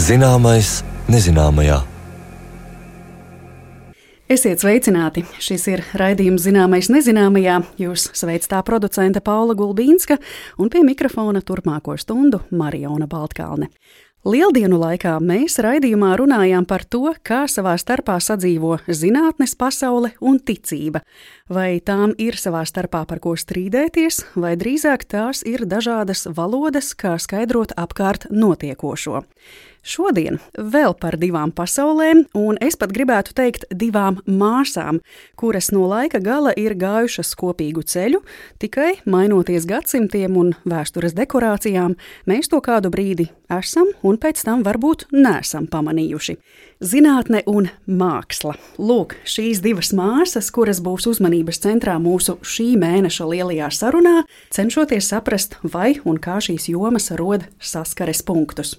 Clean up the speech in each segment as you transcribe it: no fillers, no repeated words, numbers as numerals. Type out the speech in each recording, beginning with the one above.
Zināmais nezināmajā. Esiet sveicināti! Šis ir raidījums Zināmais nezināmajā. Jūs sveic tā producente Paula Gulbīnska un pie mikrofona turpmāko stundu Mariona Baltkalne. Lieldienu laikā mēs raidījumā runājām par to, kā savā starpā sadzīvo zinātnes pasaule un ticība. Vai tām ir savā starpā par ko strīdēties, vai drīzāk tās ir dažādas valodas, kā skaidrot apkārt notiekošo. Šodien vēl par divām pasaulēm, un es pat gribētu teikt divām māsām, kuras no laika gala ir gājušas kopīgu ceļu, tikai mainoties gadsimtiem un vēstures dekorācijām, mēs to kādu brīdi esam un pēc tam varbūt neesam pamanījuši. Zinātne un māksla. Lūk, šīs divas māsas, kuras būs uzmanības centrā mūsu šī mēneša lielajā sarunā, cenšoties saprast, vai un kā šīs jomas rod saskares punktus.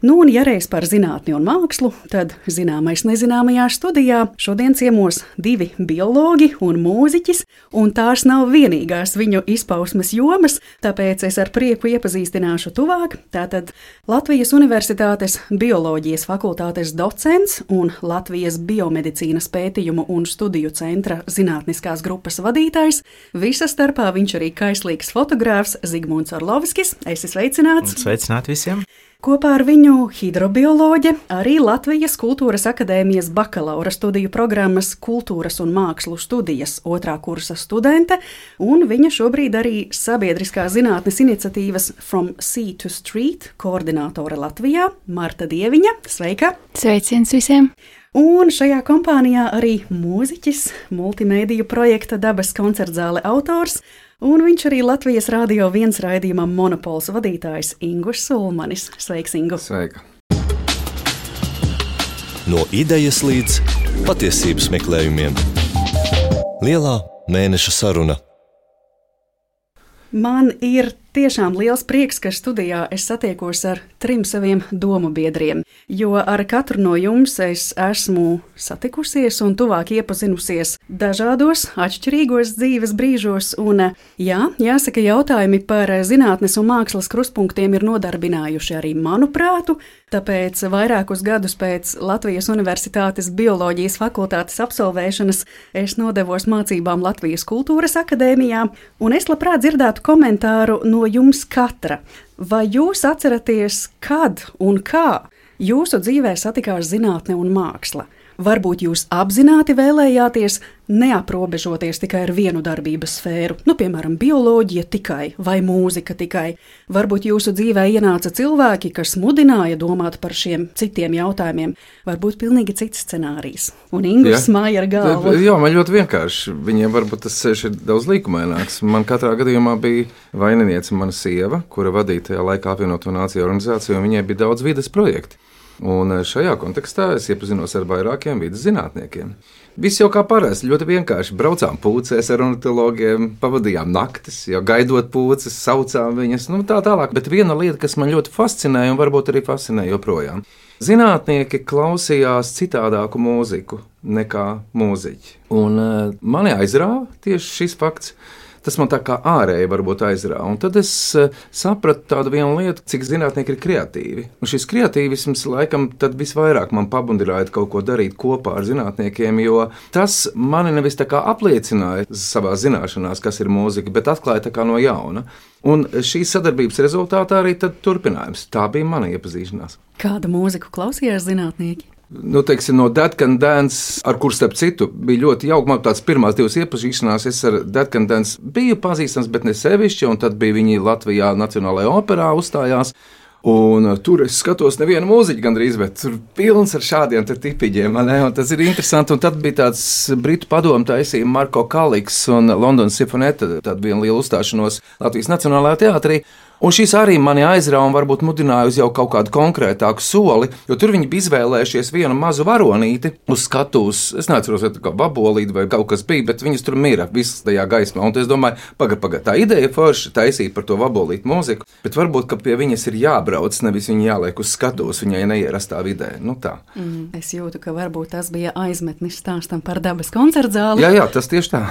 Nu, un ja reiz par zinātni un mākslu, tad Zināmais nezināmajā studijā šodien ciemos divi biologi un mūziķis, un tās nav vienīgās viņu izpausmes jomas, tāpēc es ar prieku iepazīstināšu tuvāk. Tātad Latvijas Universitātes bioloģijas fakultātes docents un Latvijas biomedicīnas pētījumu un studiju centra zinātniskās grupas vadītājs, visa starpā viņš arī kaislīgs fotogrāfs Zigmunds Orlovskis. Esi sveicināts! Sveicināt visiem! Kopā ar viņu hidrobioloģe, arī Latvijas Kultūras akadēmijas bakalaura studiju programmas Kultūras un mākslu studijas 2. kursa studente, un viņa šobrīd arī sabiedriskās zinātnes iniciatīvas From Sea to Street koordinātore Latvijā, Marta Dieviņa. Sveika! Sveiciens visiem! Un šajā kompānijā arī mūziķis, multimēdiju projekta Dabas koncertzāle autors, un viņš arī Latvijas Rādio 1 raidījumam Monopols vadītājs Ingus Sulmanis. Sveiks, Ingu! Sveika! No idejas līdz patiesības meklējumiem. Lielā mēneša saruna. Man ir tiešām liels prieks, ka studijā es satiekos ar trim saviem domu biedriem, jo ar katru no jums es esmu satikusies un tuvāk iepazinusies dažādos, atšķirīgos dzīves brīžos, un jāsaka, jautājumi par zinātnes un mākslas krustpunktiem ir nodarbinājuši arī manu prātu, tāpēc vairākus gadus pēc Latvijas Universitātes bioloģijas fakultātes absolvēšanas es nodevos mācībām Latvijas Kultūras akadēmijā, un es labprāt dzirdētu komentāru no jums katra. Vai jūs atceraties, kad un kā jūsu dzīvē satikās zinātne un māksla? Varbūt jūs apzināti vēlējāties neaprobežoties tikai ar vienu darbības sfēru, piemēram, bioloģija tikai vai mūzika tikai. Varbūt jūsu dzīvē ienāca cilvēki, kas mudināja domāt par šiem citiem jautājumiem. Varbūt pilnīgi cits scenārijs. Un Ingus māja ar galvu. Jā, man ļoti vienkārši. Viņiem varbūt tas ceļš ir daudz līkumaināks. Man katrā gadījumā bija vaininiece mana sieva, kura vadīja tajā laikā apvienoto nāciju organizāciju, un viņai bija daudz vides projekti. Un šajā kontekstā es iepazinos ar vairākiem vides zinātniekiem. Viss jau kā parasti, ļoti vienkārši. Braucām pūcēs ar ornitologiem, pavadījām naktis, jau gaidot pūces, saucām viņas, tā tālāk. Bet viena lieta, kas man ļoti fascinēja un varbūt arī fascinē joprojām. Zinātnieki klausījās citādāku mūziku nekā mūziķi. Un mani aizrāva tieši šis fakts. Tas man tā kā ārēji varbūt aizrāva. Un tad es sapratu tādu vienu lietu, cik zinātnieki ir kreatīvi. Un šis kreatīvisms laikam tad visvairāk man pabundināja kaut ko darīt kopā ar zinātniekiem, jo tas mani nevis tā kā apliecināja savā zināšanās, kas ir mūzika, bet atklāja tā kā no jauna. Un šīs sadarbības rezultātā arī tad turpinājums. Tā bija mana iepazīšanās. Kādu mūziku klausījās zinātnieki? Teiksim, no Dead Can Dance, ar kur starp citu bija ļoti jauki. Man tās pirmās divas iepazīšanās, es ar Dead Can Dance biju pazīstams, bet ne sevišķi, un tad bija viņi Latvijā Nacionālajā operā uzstājās. Un tur es skatos nevienu mūziķu gandrīz, bet tur pilns ar šādiem tipiģiem. Tas ir interesanti. Un tad bija tāds britu padomu taisīja Marko Kaliks un Londonas Simfoneta, tāda viena liela uzstāšanos Latvijas Nacionālajā teātrī. Un šīs arī mani aizrāva un varbūt mudināja uz jau kaut kādu konkrētāku soli, jo tur viņi bija izvēlējušies vienu mazu varonīti uz skatuves. Es neatceros, vai tā kā vabolīte vai kaut kas bija, bet viņas tur mira visas tajā gaismā. Un es domāju, pagaid, tā ideja forši taisīt par to vabolītu mūziku, bet varbūt, ka pie viņas ir jābrauc, nevis viņa jāliek uz skatuves viņai neierastā vidē. Tā. Es jūtu, ka varbūt tas bija aizmetnis stāstam par Dabas koncertzāli. Jā, tas tieši tā.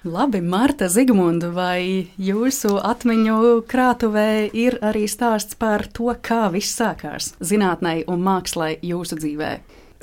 Labi, Marta, Zigmundu, vai jūsu atmiņu krātuvē ir arī stāsts par to, kā viss sākās zinātnei un mākslai jūsu dzīvē?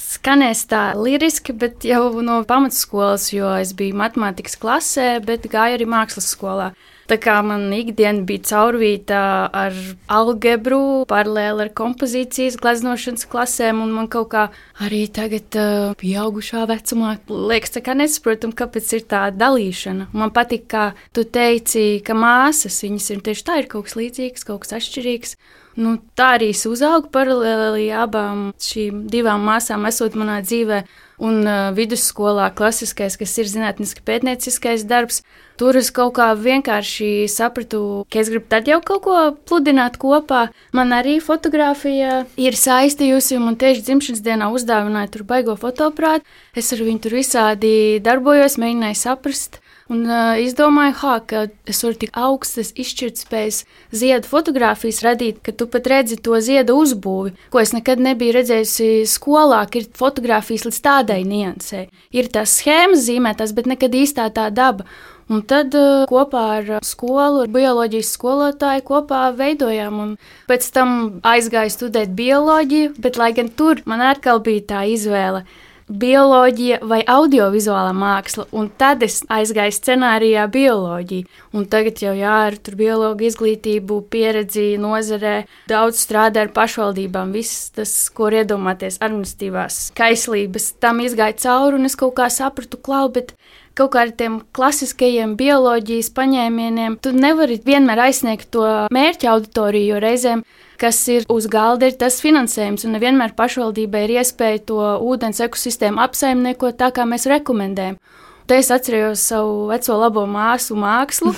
Skanēs tā liriski, bet jau no pamatskolas, jo es biju matemātikas klasē, bet gāju arī mākslas skolā. Tā kā man ikdiena bija caurvīta ar algebru, paralēli ar kompozīcijas gleznošanas klasēm, un man kaut kā arī tagad pieaugušā vecumā liekas, tā kā nesaprotam, kāpēc ir tā dalīšana. Man patīk, kā tu teici, ka māsas, viņas ir tieši tā, ir kaut kas līdzīgs, kaut kas atšķirīgs. Nu, tā arī es uzaugu paralēli abām šīm divām māsām, esot manā dzīvē. Un vidusskolā klasiskais, kas ir zinātniski pētnieciskais darbs, tur es kaut kā vienkārši sapratu, ka es gribu tad jau kaut ko pludināt kopā. Man arī fotografija ir saistījusi, un man tieši dzimšanas dienā uzdāvināja tur baigo fotoaparātu. Es ar viņu tur visādi darbojos, mēģināju saprast. Un izdomāju, ka es varu tik augstas izšķirtspējas ziedu fotogrāfijas radīt, ka tu pat redzi to ziedu uzbūvi, ko es nekad nebiju redzējusi skolā, ka ir fotogrāfijas līdz tādai niansei. Ir tās schēmas zīmētās, bet nekad īstā tā daba. Un tad kopā ar skolu, ar bioloģijas skolotāju kopā veidojām, un pēc tam aizgāju studēt bioloģiju, bet lai gan tur man atkal bija tā izvēle. Bioloģija vai audiovizuālā māksla, un tad es aizgāju scenārijā bioloģiju. Un tagad jau ar biologu izglītību, pieredzi nozarē, daudz strādā ar pašvaldībām. Viss tas, ko var iedomāties, administratīvās kaislības, tam izgāja cauri, un es kaut kā sapratu, bet kaut kā ar tiem klasiskajiem bioloģijas paņēmieniem tu nevari vienmēr aizsniegt to mērķa auditoriju, jo reizēm kas ir uz galda, ir tas finansējums, un nevienmēr pašvaldībai ir iespēja to ūdens ekosistēmu apsaimniekot tā, kā mēs rekomendējam. Te es atcerējos savu veco labo māsu mākslu,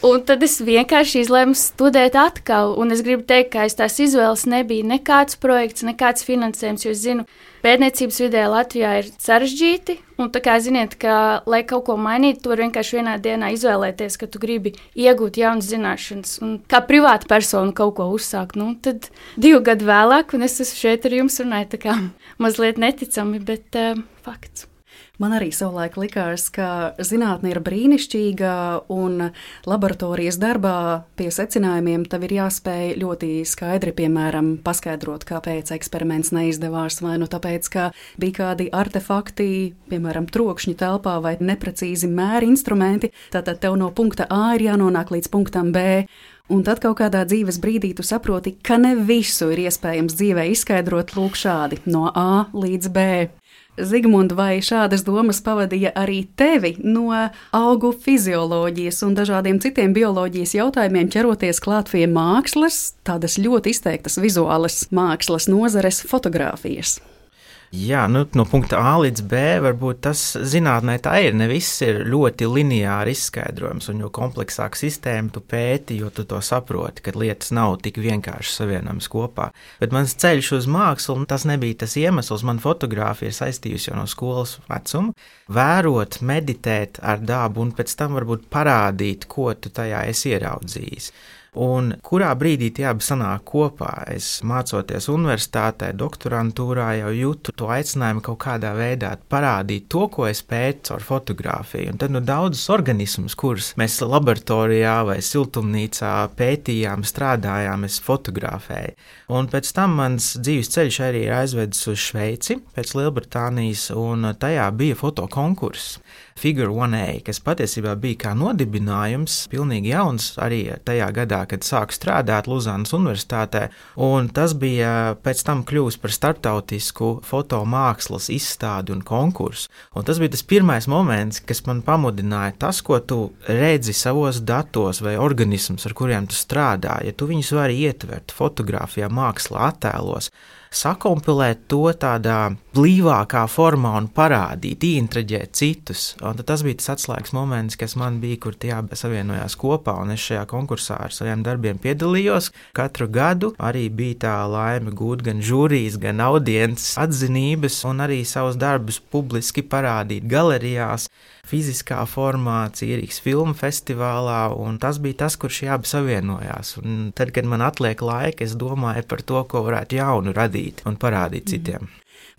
un tad es vienkārši izlēmu studēt atkal, un es gribu teikt, ka aiz tās izvēles nebija nekāds projekts, nekāds finansējums, jo es zinu, pētniecības vidē Latvijā ir sarežģīti, un tā kā ziniet, ka, lai kaut ko mainītu, tu vari vienkārši vienā dienā izvēlēties, ka tu gribi iegūt jaunas zināšanas, un kā privāta persona kaut ko uzsākt, tad 2 gadu vēlāk, un es esmu šeit ar jums runāju, tā kā mazliet neticami, bet fakts. Man arī savulaik likās, ka zinātne ir brīnišķīga un laboratorijas darbā pie secinājumiem tev ir jāspēj ļoti skaidri, piemēram, paskaidrot, kāpēc eksperiments neizdevās, vai nu tāpēc, ka bija kādi artefakti, piemēram, trokšņi telpā vai neprecīzi mēri instrumenti, tātad tev no punkta A ir jānonāk līdz punktam B. Un tad kaut kādā dzīves brīdī tu saproti, ka ne visu ir iespējams dzīvē izskaidrot lūk šādi, no A līdz B. Zigmund, vai šādas domas pavadīja arī tevi no augu fizioloģijas un dažādiem citiem bioloģijas jautājumiem ķeroties klāt pie mākslas, tādas ļoti izteiktas vizuālas mākslas nozares fotogrāfijas? Jā, no punkta A līdz B varbūt tas zinātnē tā ir. Ne viss ir ļoti lineāri izskaidrojums, un jo kompleksāka sistēma tu pēti, jo tu to saproti, ka lietas nav tik vienkārši savienojamas kopā. Bet mans ceļš uz mākslu, tas nebija tas iemesls. Man fotogrāfija ir saistījusi jau no skolas vecuma. Vērot, meditēt ar dabu un pēc tam varbūt parādīt, ko tu tajā esi ieraudzījis. Un kurā brīdī tie abi sanāk kopā? Es mācoties universitātē, doktorantūrā jau jūtu to aicinājumu kaut kādā veidā parādīt to, ko es pētu ar fotografiju. Un tad daudzus organismus, kurus mēs laboratorijā vai siltumnīcā pētījām, strādājām, es fotografēju. Un pēc tam mans dzīves ceļš arī ir aizvedis uz Šveici, pēc Lielbritānijas, un tajā bija fotokonkurss. Figure 1A, kas patiesībā bija kā nodibinājums, pilnīgi jauns arī tajā gadā, kad sāku strādāt Luzānas universitātē, un tas bija pēc tam kļūst par starptautisku fotomākslas izstādi un konkursu. Un tas bija tas pirmais moments, kas man pamudināja tas, ko tu redzi savos datos vai organismus, ar kuriem tu strādā, ja tu viņus vari ietvert fotogrāfijā, mākslā, attēlos, sakompilēt to tādā blīvākā formā un parādīt, ieintraģēt citus. Un tas bija tas atslēgas moments, kas man bija, kur tie abi savienojās kopā, un es šajā konkursā ar saviem darbiem piedalījos. Katru gadu arī bija tā laime gūt gan žūrijas, gan audiences atzinības, un arī savus darbus publiski parādīt galerijās, fiziskā formā, Cīrīgas filmu festivālā, un tas bija tas, kur šie abi savienojās. Un tad, kad man atliek laika, es domāju par to, ko varētu jaunu radīt un parādīt citiem.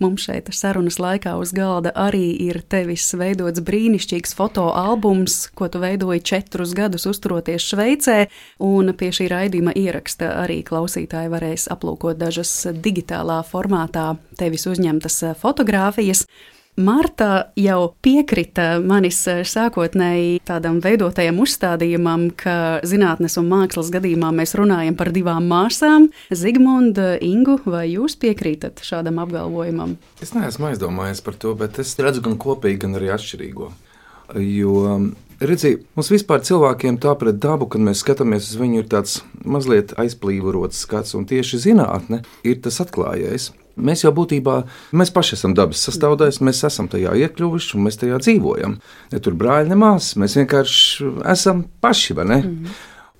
Mums šeit sarunas laikā uz galda arī ir tevis veidots brīnišķīgs fotoalbums, ko tu veidoji 4 gadus uzturoties Šveicē, un pie šī raidījuma ieraksta arī klausītāji varēs aplūkot dažas digitālā formātā tevis uzņemtas fotogrāfijas. Marta jau piekrita manis sākotnēji tādam veidotajam uzstādījumam, ka zinātnes un mākslas gadījumā mēs runājam par 2 māsām. Zigmunda, Ingu, vai jūs piekrītat šādam apgalvojumam? Es neesmu aizdomājies par to, bet es redzu gan kopīgi, gan arī atšķirīgo. Jo, redzi, mums vispār cilvēkiem tā pret dabu, kad mēs skatāmies uz viņu, ir tāds mazliet aizplīvots skats, un tieši zinātne ir tas atklājējs. Mēs jau būtībā, mēs paši esam dabas sastāvdaļas, mēs esam tajā iekļuvuši un mēs tajā dzīvojam. Ne tur brāļi, ne māsas, mēs vienkārši esam paši, vai ne?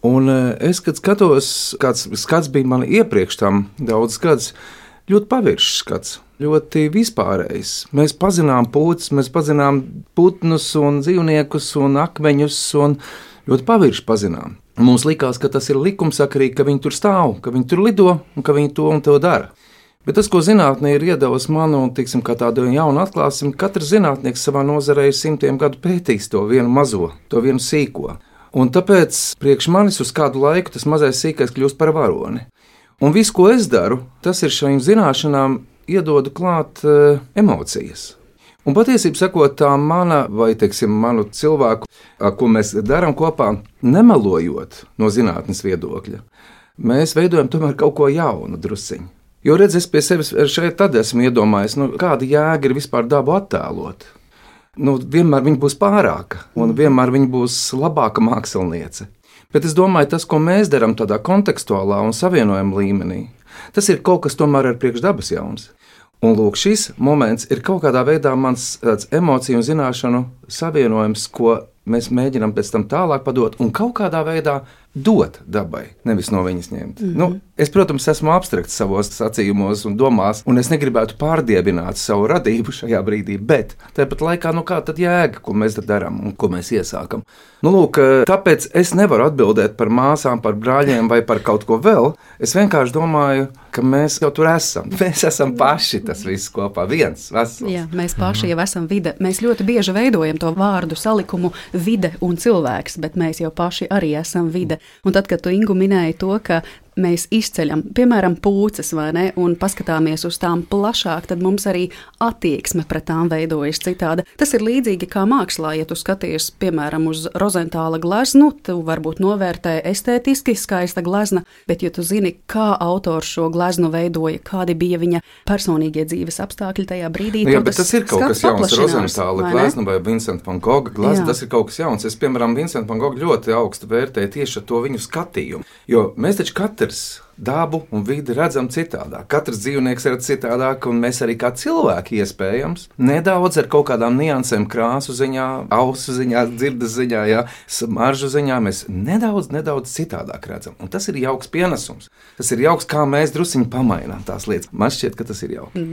Un es, kad skatos, kāds skats bija man iepriekš tam daudz gadus, ļoti paviršs skats, ļoti vispārējs. Mēs pazinām pūces, mēs pazinām putnus un dzīvniekus un akmeņus un ļoti pavirši pazinām. Mums likās, ka tas ir likumsakarīgi, ka viņi tur stāv, ka viņi tur lido un ka viņi to un to dara. Bet tas, ko zinātnē ir iedevusi man, un tiksim, kā tādu jaunu atklāsim, katrs zinātnieks savā nozarē ir 100 gadu pētījis to vienu mazo, to vienu sīko. Un tāpēc priekš manis uz kādu laiku tas mazais sīkais kļūst par varoni. Un viss, ko es daru, tas ir šīm zināšanām iedodu klāt emocijas. Un patiesībā sakot, tā mana, vai teiksim, manu cilvēku, ko mēs darām kopā, nemelojot no zinātnes viedokļa, mēs veidojam tomēr kaut ko jaunu drusciņu. Jo redz, es pie sevis šeit tad esmu iedomājies, kāda jēga ir vispār dabu attēlot. Vienmēr viņa būs pārāka, un vienmēr viņa būs labāka māksliniece. Bet es domāju, tas, ko mēs darām tādā kontekstuālā un savienojuma līmenī, tas ir kaut kas tomēr ar priekš dabas jauns. Un lūk, šis moments ir kaut kādā veidā mans emociju un zināšanu savienojums, ko mēs mēģinām pēc tam tālāk padot un kaut kādā veidā dot dabai, nevis no viņas ņemt. Es, protams, esmu abstrakts savos sacījumos un domās, un es negribētu pārdiebināt savu radību šajā brīdī, bet tāpat laikā, kā tad jēga, ko mēs darām un ko mēs iesākam. Lūk, tāpēc es nevaru atbildēt par māsām, par brāļiem vai par kaut ko vēl. Es vienkārši domāju, ka mēs jau tur esam. Mēs esam paši tas viss kopā, viens vesels. Jā, mēs paši jau esam vide. Mēs ļoti bieži veidojam to vārdu salikumu vide un cilvēks, bet mēs jau paši arī esam vide. Un tad, kad tu, Ingu, minēji to, ka mēs izceļam, piemēram, pūces, vai ne, un paskatāmies uz tām plašāk, tad mums arī attieksme pret tām veidojas citāda. Tas ir līdzīgi kā mākslā, ja tu skaties, piemēram, uz Rozentāla gleznu, tu varbūt novērtē estētiski skaista glezna, bet ja tu zini, kā autors šo gleznu veidoja, kādi bija viņa personīgie dzīves apstākļi tajā brīdī, jā, bet tas ir kaut kas jauns. Rozentāla glezna vai Vincenta van Gogha glezna, tas ir kaut kas jauns. Es, piemēram, Vincenta van Gogha ļoti augstu vērtēju tieši ar to viņu skatījumu, jo mēs taču katrs dabu un vidi redzam citādāk. Katrs dzīvnieks redz citādāk, un mēs arī kā cilvēki iespējams nedaudz ar kaut kādām niansēm krāsu ziņā, ausu ziņā, dzirdes ziņā, smaržu ziņā mēs nedaudz citādāk redzam. Un tas ir jauks pienesums. Tas ir jauks, kā mēs drusciņi pamainām tās lietas. Man šķiet, ka tas ir jauki.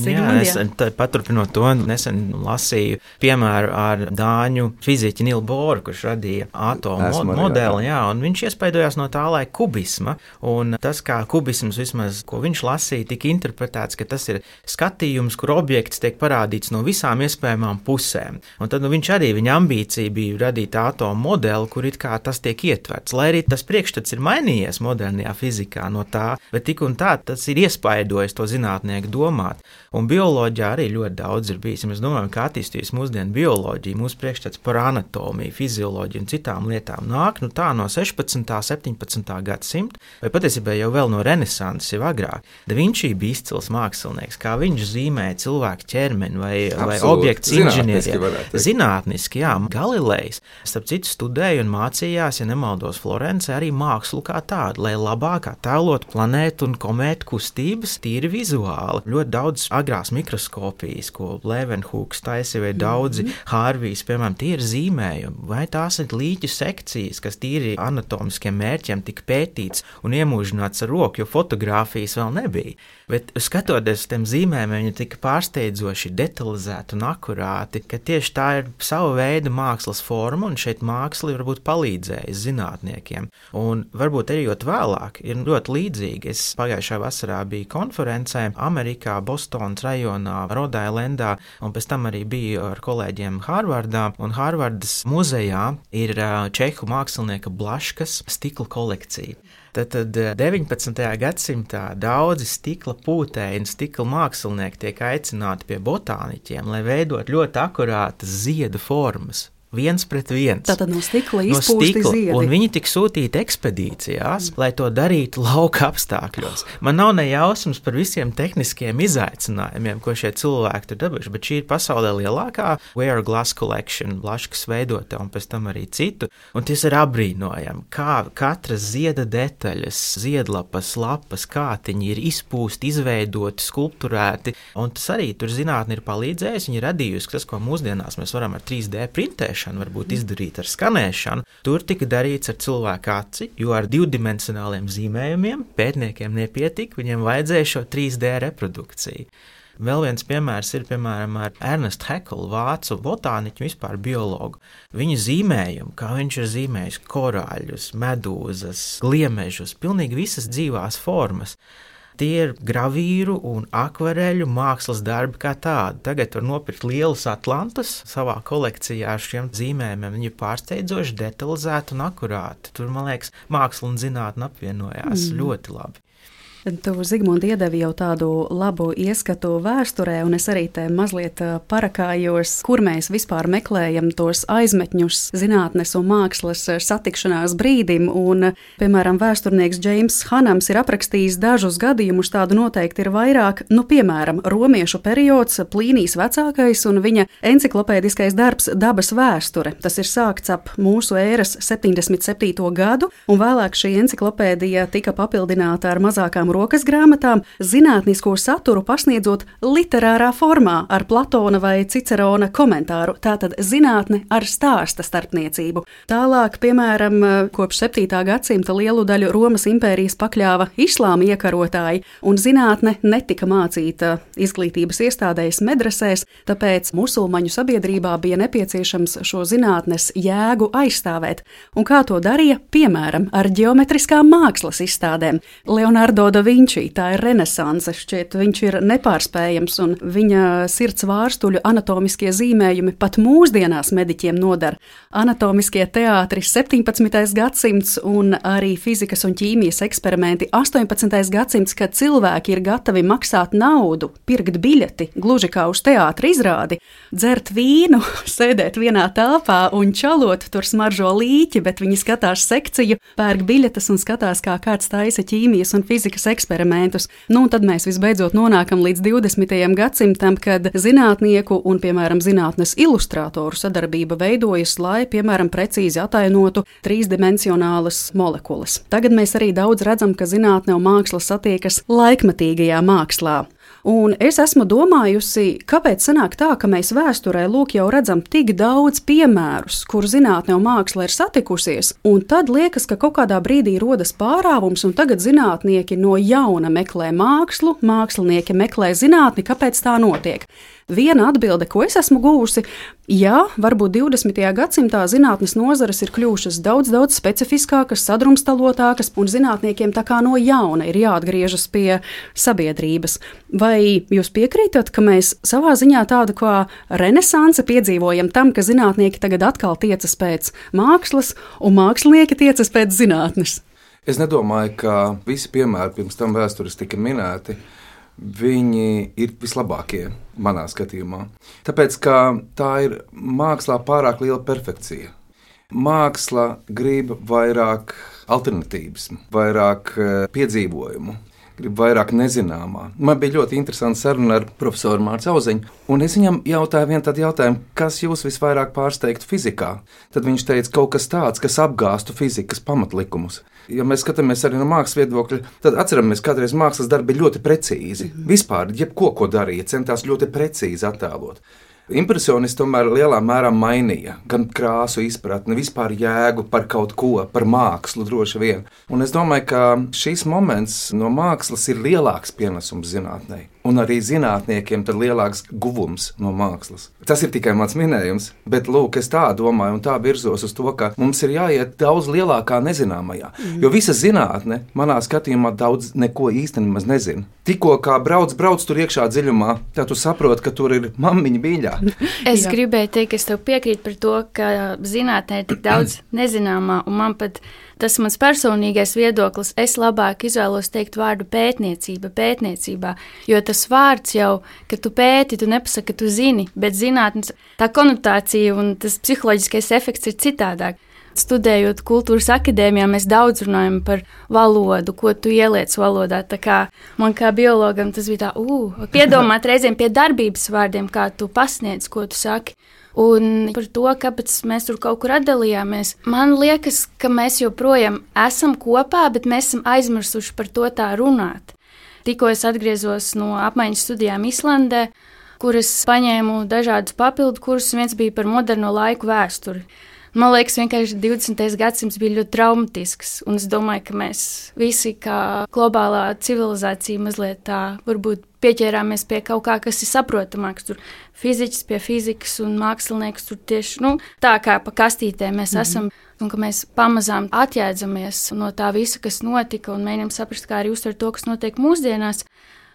Jā, paturpinot to, nesen lasīju piemēru ar dāņu fiziķi Nilu Boru, kurš radīja atomu modeli, un viņš iespaidojās no tā laika kubisma. Un tas, kā kubisms vismaz, ko viņš lasīja, tika interpretēts, ka tas ir skatījums, kur objekts tiek parādīts no visām iespējamām pusēm. Un tad viņš arī, viņa ambīcija bija radīt atomu modeli, kur it kā tas tiek ietverts. Lai arī tas priekšstats ir mainījies modernajā fizikā no tā, bet tik un tā tas ir iespaidojis to zinātnieku domāt. Un bioloģijā arī ļoti daudz ir bijis. Mēs domājam, ka attīstījis mūsdienu bioloģiju, mūsu priekšstats par anatomiju, fizioloģiju un citām lietām nāk tā no 16. 17. gadsimta, vai patiesībā jau vēl no renesanses, jau agrāk. Da Vinci bija izcils mākslinieks, kā viņš zīmēja cilvēku ķermeni vai objektu inženierijā. Zinātniski, jā. Galilejs, starp citu, studēja un mācījās, ja nemaldos, Florencē arī mākslu kā tādu, lai labāk attēlot planētu un komētu kustības tīri vizuāli. Ļoti daudz agrās mikroskopijas, ko Leeuwenhoeks taisīja, vai daudzi Hārvijs, piemēram, tie ir zīmējumi, vai tās ir līķu sekcijas, kas tīri anatomiskiem mērķiem tika pētīts un iemūžināts nodrošināts ar roku, jo fotografijas vēl nebija. Bet skatoties uz tiem zīmējumiem, viņi tika pārsteidzoši detalizēti un akurāti, ka tieši tā ir sava veida mākslas forma, un šeit māksla varbūt palīdzēja zinātniekiem. Un varbūt ejot vēlāk, ir ļoti līdzīgi. Es pagājušā vasarā biju konferencē Amerikā, Bostonas rajonā, Rodailendā, un pēc tam arī biju ar kolēģiem Harvardā, un Harvardas muzejā ir čehu mākslinieka Blaškas stikla kolekcija. Tad 19. gadsimtā daudzi stikla pūtēji un stikla mākslinieki tiek aicināti pie botāniķiem, lai veidot ļoti akurātas ziedu formas. Viens pret viens. Tātad no stikla izpūsti ziedi. Un viņi tika sūtīti ekspedīcijās, lai to darītu lauka apstākļos. Man nav ne jausmas par visiem tehniskiem izaicinājumiem, ko šie cilvēki tur dabūjuši, bet šī ir pasaulē lielākā Wear Glass Collection, Blaškas veidota un pēc tam arī citu. Un tas ir apbrīnojami, kā katras zieda detaļas, ziedlapas, lapas, kātiņi ir izpūsti, izveidoti, skulpturēti. Un tas arī tur zinātni ir palīdzējis, viņi ir radījusi tas, ko mūsdienās mēs varam ar 3D printēšanu varbūt izdarīt ar skanēšanu. Tur tika darīts ar cilvēku aci, jo ar divdimensionāliem zīmējumiem pētniekiem nepietika, viņiem vajadzēja šo 3D reprodukciju. Vēl viens piemērs ir, piemēram, ar Ernestu Hekelu, vācu botāniķu, vispār biologu. Viņa zīmējumu, kā viņš ir zīmējis korāļus, medūzas, gliemežus, pilnīgi visas dzīvās formas. Tie ir gravīru un akvareļu mākslas darbi kā tādi. Tagad var nopirkt lielus atlantus savā kolekcijā ar šiem zīmējumiem. Viņi ir pārsteidzoši detalizēti un akurāti. Tur, man liekas, māksla un zinātne apvienojās ļoti labi. Tu, Zigmunt, iedevi jau tādu labu ieskatu vēsturē, un es arī te mazliet parakājos, kur mēs vispār meklējam tos aizmetņus zinātnes un mākslas satikšanās brīdim. Un, piemēram, vēsturnieks Džeims Hanams ir aprakstījis dažus gadījumus, tādu noteikti ir vairāk, piemēram, romiešu periods, Plīnijs vecākais un viņa enciklopēdiskais darbs Dabas vēsture. Tas ir sākts ap mūsu ēras 77. gadu, un vēlāk šī enciklopēdija tika papildināta ar mazākām rokas grāmatām, zinātnisko saturu pasniedzot literārā formā ar Platona vai Cicerona komentāru, tātad zinātne ar stāsta starpniecību. Tālāk, piemēram, kopš 7. gadsimta lielu daļu Romas impērijas pakļāva islāma iekarotāji, un zinātne netika mācīta izglītības iestādēs medresēs, tāpēc musulmaņu sabiedrībā bija nepieciešams šo zinātnes jēgu aizstāvēt. Un kā to darīja? Piemēram, ar ģeometriskām mākslas izstādēm. Leonardo da Vinci, tā ir renesanse, šķiet, viņš ir nepārspējams, un viņa sirds vārstuļu anatomiskie zīmējumi pat mūsdienās mediķiem nodara. Anatomiskie teātri 17. gadsimts un arī fizikas un ķīmijas eksperimenti 18. gadsimts, kad cilvēki ir gatavi maksāt naudu, pirkt biļeti, gluži kā uz teātra izrādi, dzert vīnu, sēdēt vienā telpā un čalot, tur smaržo līķi, bet viņi skatās sekciju, pērk biļetes un skatās, kā kāds taisa ķīmijas un fizikas eksperimentus. Un tad mēs visbeidzot nonākam līdz 20. gadsimtam, kad zinātnieku un, piemēram, zinātnes ilustrātoru sadarbība veidojas, lai, piemēram, precīzi atainotu trīsdimensionālas molekulas. Tagad mēs arī daudz redzam, ka zinātne un māksla satiekas laikmetīgajā mākslā. Un es esmu domājusi, kāpēc sanāk tā, ka mēs vēsturē lūk jau redzam tik daudz piemērus, kur zinātne un māksla ir satikusies, un tad liekas, ka kaut kādā brīdī rodas pārāvums, un tagad zinātnieki no jauna meklē mākslu, mākslinieki meklē zinātni, kāpēc tā notiek. Viena atbilde, ko es esmu guvusi, jā, varbūt 20. gadsimtā zinātnes nozares ir kļuvušas daudz specifiskākas, sadrumstalotākas, un zinātniekiem tā kā no jauna ir jāatgriežas pie sabiedrības. Vai jūs piekrītat, ka mēs savā ziņā tādu kā renesansi piedzīvojam tam, ka zinātnieki tagad atkal tiecas pēc mākslas, un mākslinieki tiecas pēc zinātnes? Es nedomāju, ka visi piemēri pirms tam vēstures tika minēti. Viņi ir vislabākie manā skatījumā. Tāpēc, ka tā ir mākslā pārāk liela perfekcija. Māksla grib vairāk alternatīvas, vairāk piedzīvojumu, grib vairāk nezināmā. Man bija ļoti interesanta saruna ar profesoru Mārcu Auziņu, un es viņam jautāju vienu tādu jautājumu, kas jūs visvairāk pārsteigtu fizikā. Tad viņš teica kaut kas tāds, kas apgāstu fizikas pamatlikumus. Ja mēs skatāmies arī no mākslas viedokļa, tad atceramies, ka kādreiz mākslas darbi bija ļoti precīzi. Vispār, jebko, ko darīja, centās ļoti precīzi attēlot. Impresionisti tomēr lielā mērā mainīja gan krāsu izpratni, vispār jēgu par kaut ko, par mākslu droši vien. Un es domāju, ka šis moments no mākslas ir lielāks pienesums zinātnē. Un arī zinātniekiem tad lielāks guvums no mākslas. Tas ir tikai mans minējums, bet lūk, es tā domāju un tā virzos uz to, ka mums ir jāiet daudz lielākā nezināmajā. Jo visa zinātne, manā skatījumā, daudz neko īstenībā nezina. Tikko kā brauc tur iekšā dziļumā, tad tu saproti, ka tur ir mammiņa mīļā. Es gribēju teikt, ka es tev piekrītu par to, ka zinātnē ir tik daudz nezināmā, un man pat tas mans personīgais viedoklis, es labāk izvēlos teikt vārdu pētniecībā, jo tas vārds jau, ka tu pēti, tu nepasaki, ka tu zini, bet zinātnes, tā konotācija un tas psiholoģiskais efekts ir citādāk. Studējot kultūras akadēmijā, mēs daudz runājam par valodu, ko tu ieliec valodā. Tā kā man kā biologam tas bija tā, piedomāt reizēm pie darbības vārdiem, kā tu pasniedz, ko tu saki. Un par to, kāpēc mēs tur kaut kur atdalījāmies. Man liekas, ka mēs joprojām esam kopā, bet mēs esam aizmirsuši par to tā runāt. Tikko es atgriezos no apmaiņas studijām Islandē, kur es paņēmu dažādus papildu kursus, viens bija par moderno laiku vēsturi. Man liekas, vienkārši 20. gadsimts bija ļoti traumatisks, un es domāju, ka mēs visi kā globālā civilizācija mazliet tā varbūt pieķērāmies pie kaut kā, kas ir saprotamāks. Tur fiziķis pie fizikas un mākslinieks tur tieši tā kā pa kastītēm mēs esam, un ka mēs pamazām atjēdzamies no tā visa, kas notika, un mēģinām saprast, kā arī uztvert to, kas notiek mūsdienās.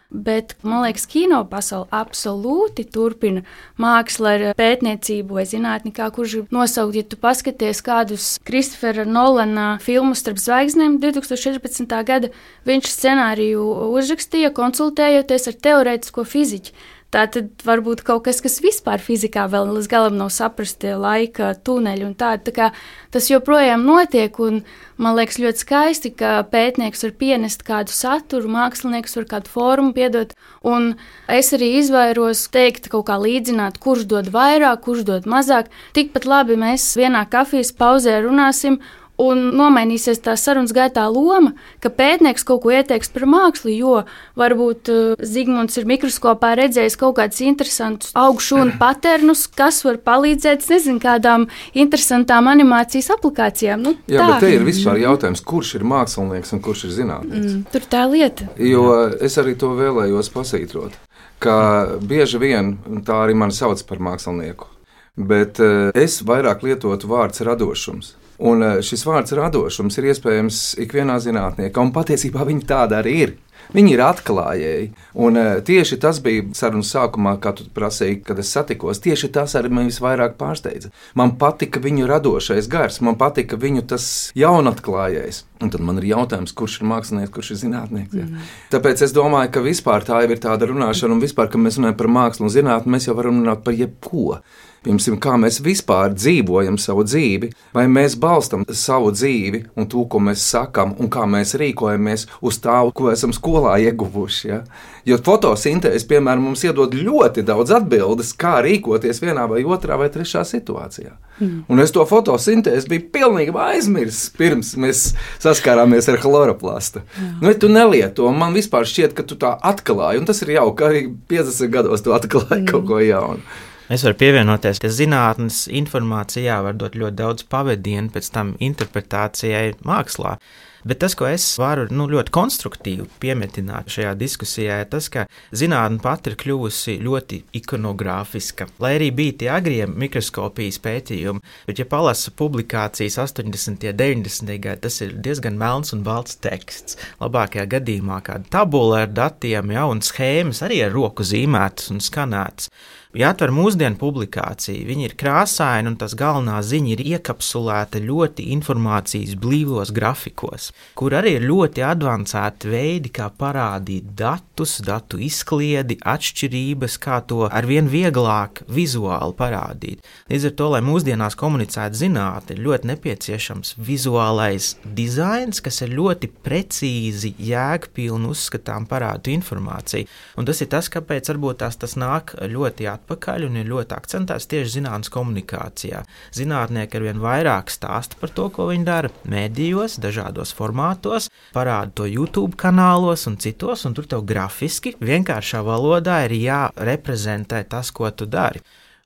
Bet, man liekas, kino pasaule absolūti turpina mākslu ar pētniecību vai zinātni, kā kurš nosaukt, ja tu paskaties kādus Kristofera Nolana filmus Starp zvaigznēm 2014. gada, viņš scenāriju uzrakstīja, konsultējoties ar teorētisko fiziķu. Tā tad varbūt kaut kas vispār fizikā vēl līdz galam nav saprasti, laika tuneļi un tādi. Tā kā tas joprojām notiek, un man liekas ļoti skaisti, ka pētnieks var pienest kādu saturu, mākslinieks var kādu formu piedot, un es arī izvairos teikt kaut kā līdzināt, kurš dod vairāk, kurš dod mazāk. Tikpat labi mēs vienā kafijas pauzē runāsim, un nomainīsies tā sarunas gaitā loma, ka pētnieks kaut ko ieteiks par mākslu, jo varbūt Zigmunds ir mikroskopā redzējis kaut kādus interesantus augšūnu paternus, kas var palīdzēt, kādām interesantām animācijas aplikācijām. Jā, bet te ir vispār jautājums, kurš ir mākslinieks un kurš ir zinātnieks. Tur tā lieta. Jo es arī to vēlējos pasvītrot, ka bieži vien, tā arī mani sauc par mākslinieku, bet es vairāk lietotu vārds radošums. Un šis vārds radošums ir iespējams ikvienā zinātniekā, un patiesībā viņi tāda arī ir. Viņi ir atklājēji, un tieši tas bija sarunas sākumā, kā tu prasīji, kad es satikos. Tieši tas arī man visvairāk pārsteidza. Man patika viņu radošais gars, man patika viņu tas jaunatklājējs. Un tad man ir jautājums, kurš ir mākslinieks, kurš ir zinātnieks. Tāpēc es domāju, ka vispār tā jau ir tāda runāšana, un vispār, kad mēs runājam par mākslu un zinātni, mēs jau varam runāt par jebko. Piemēram, kā mēs vispār dzīvojam savu dzīvi, vai mēs balstam savu dzīvi un to, ko mēs sakam, un kā mēs rīkojamies uz tā, ko esam skolā ieguvuši. Ja? Jo fotosintēze, piemēram, mums iedod ļoti daudz atbildes, kā rīkoties vienā vai otrā vai trešā situācijā. Un es to fotosintēzi biju pilnīgi aizmirsis, pirms mēs saskārāmies ar chloroplastu. Tu nelieto, man vispār šķiet, ka tu tā atklāji, un tas ir jauki, arī 50 gados tu atklāji kaut ko jaunu. Es varu pievienoties, ka zinātnes informācijā var dot ļoti daudz pavadienu pēc tam interpretācijai mākslā. Bet tas, ko es varu ļoti konstruktīvi piemetināt šajā diskusijā, ir tas, ka zinātne pati ir kļuvusi ļoti ikonogrāfiska. Lai arī bija tie agrie mikroskopijas pētījumi, bet ja palasa publikācijas 80. un 90. gadi, tas ir diezgan melns un balts teksts. Labākajā gadījumā kāda tabula ar datiem, un schēmas arī ar roku zīmētas un skanētas. Ja atver mūsdienu publikāciju, viņi ir krāsaini un tas galvenā ziņa ir iekapsulēta ļoti informācijas blīvos grafikos, kur arī ir ļoti advancēti veidi, kā parādīt datus, datu izkliedi, atšķirības, kā to arvien vieglāk vizuāli parādīt. Līdz ar to, lai mūsdienās komunicētu zinātni, ir ļoti nepieciešams vizuālais dizains, kas ir ļoti precīzi, jēgpilni uzskatām parādu informāciju. Un tas ir tas, kāpēc varbūt tas nāk ļoti atpakaļ un ir ļoti akcentēts tieši zinātnes komunikācijā. Zinātnieki arvien vairāk stāsta par to, ko viņi dara medijos, dažādos formātos, parāda to YouTube kanālos un citos, un tur tev grafiski vienkāršā valodā ir jāreprezentē tas, ko tu dari.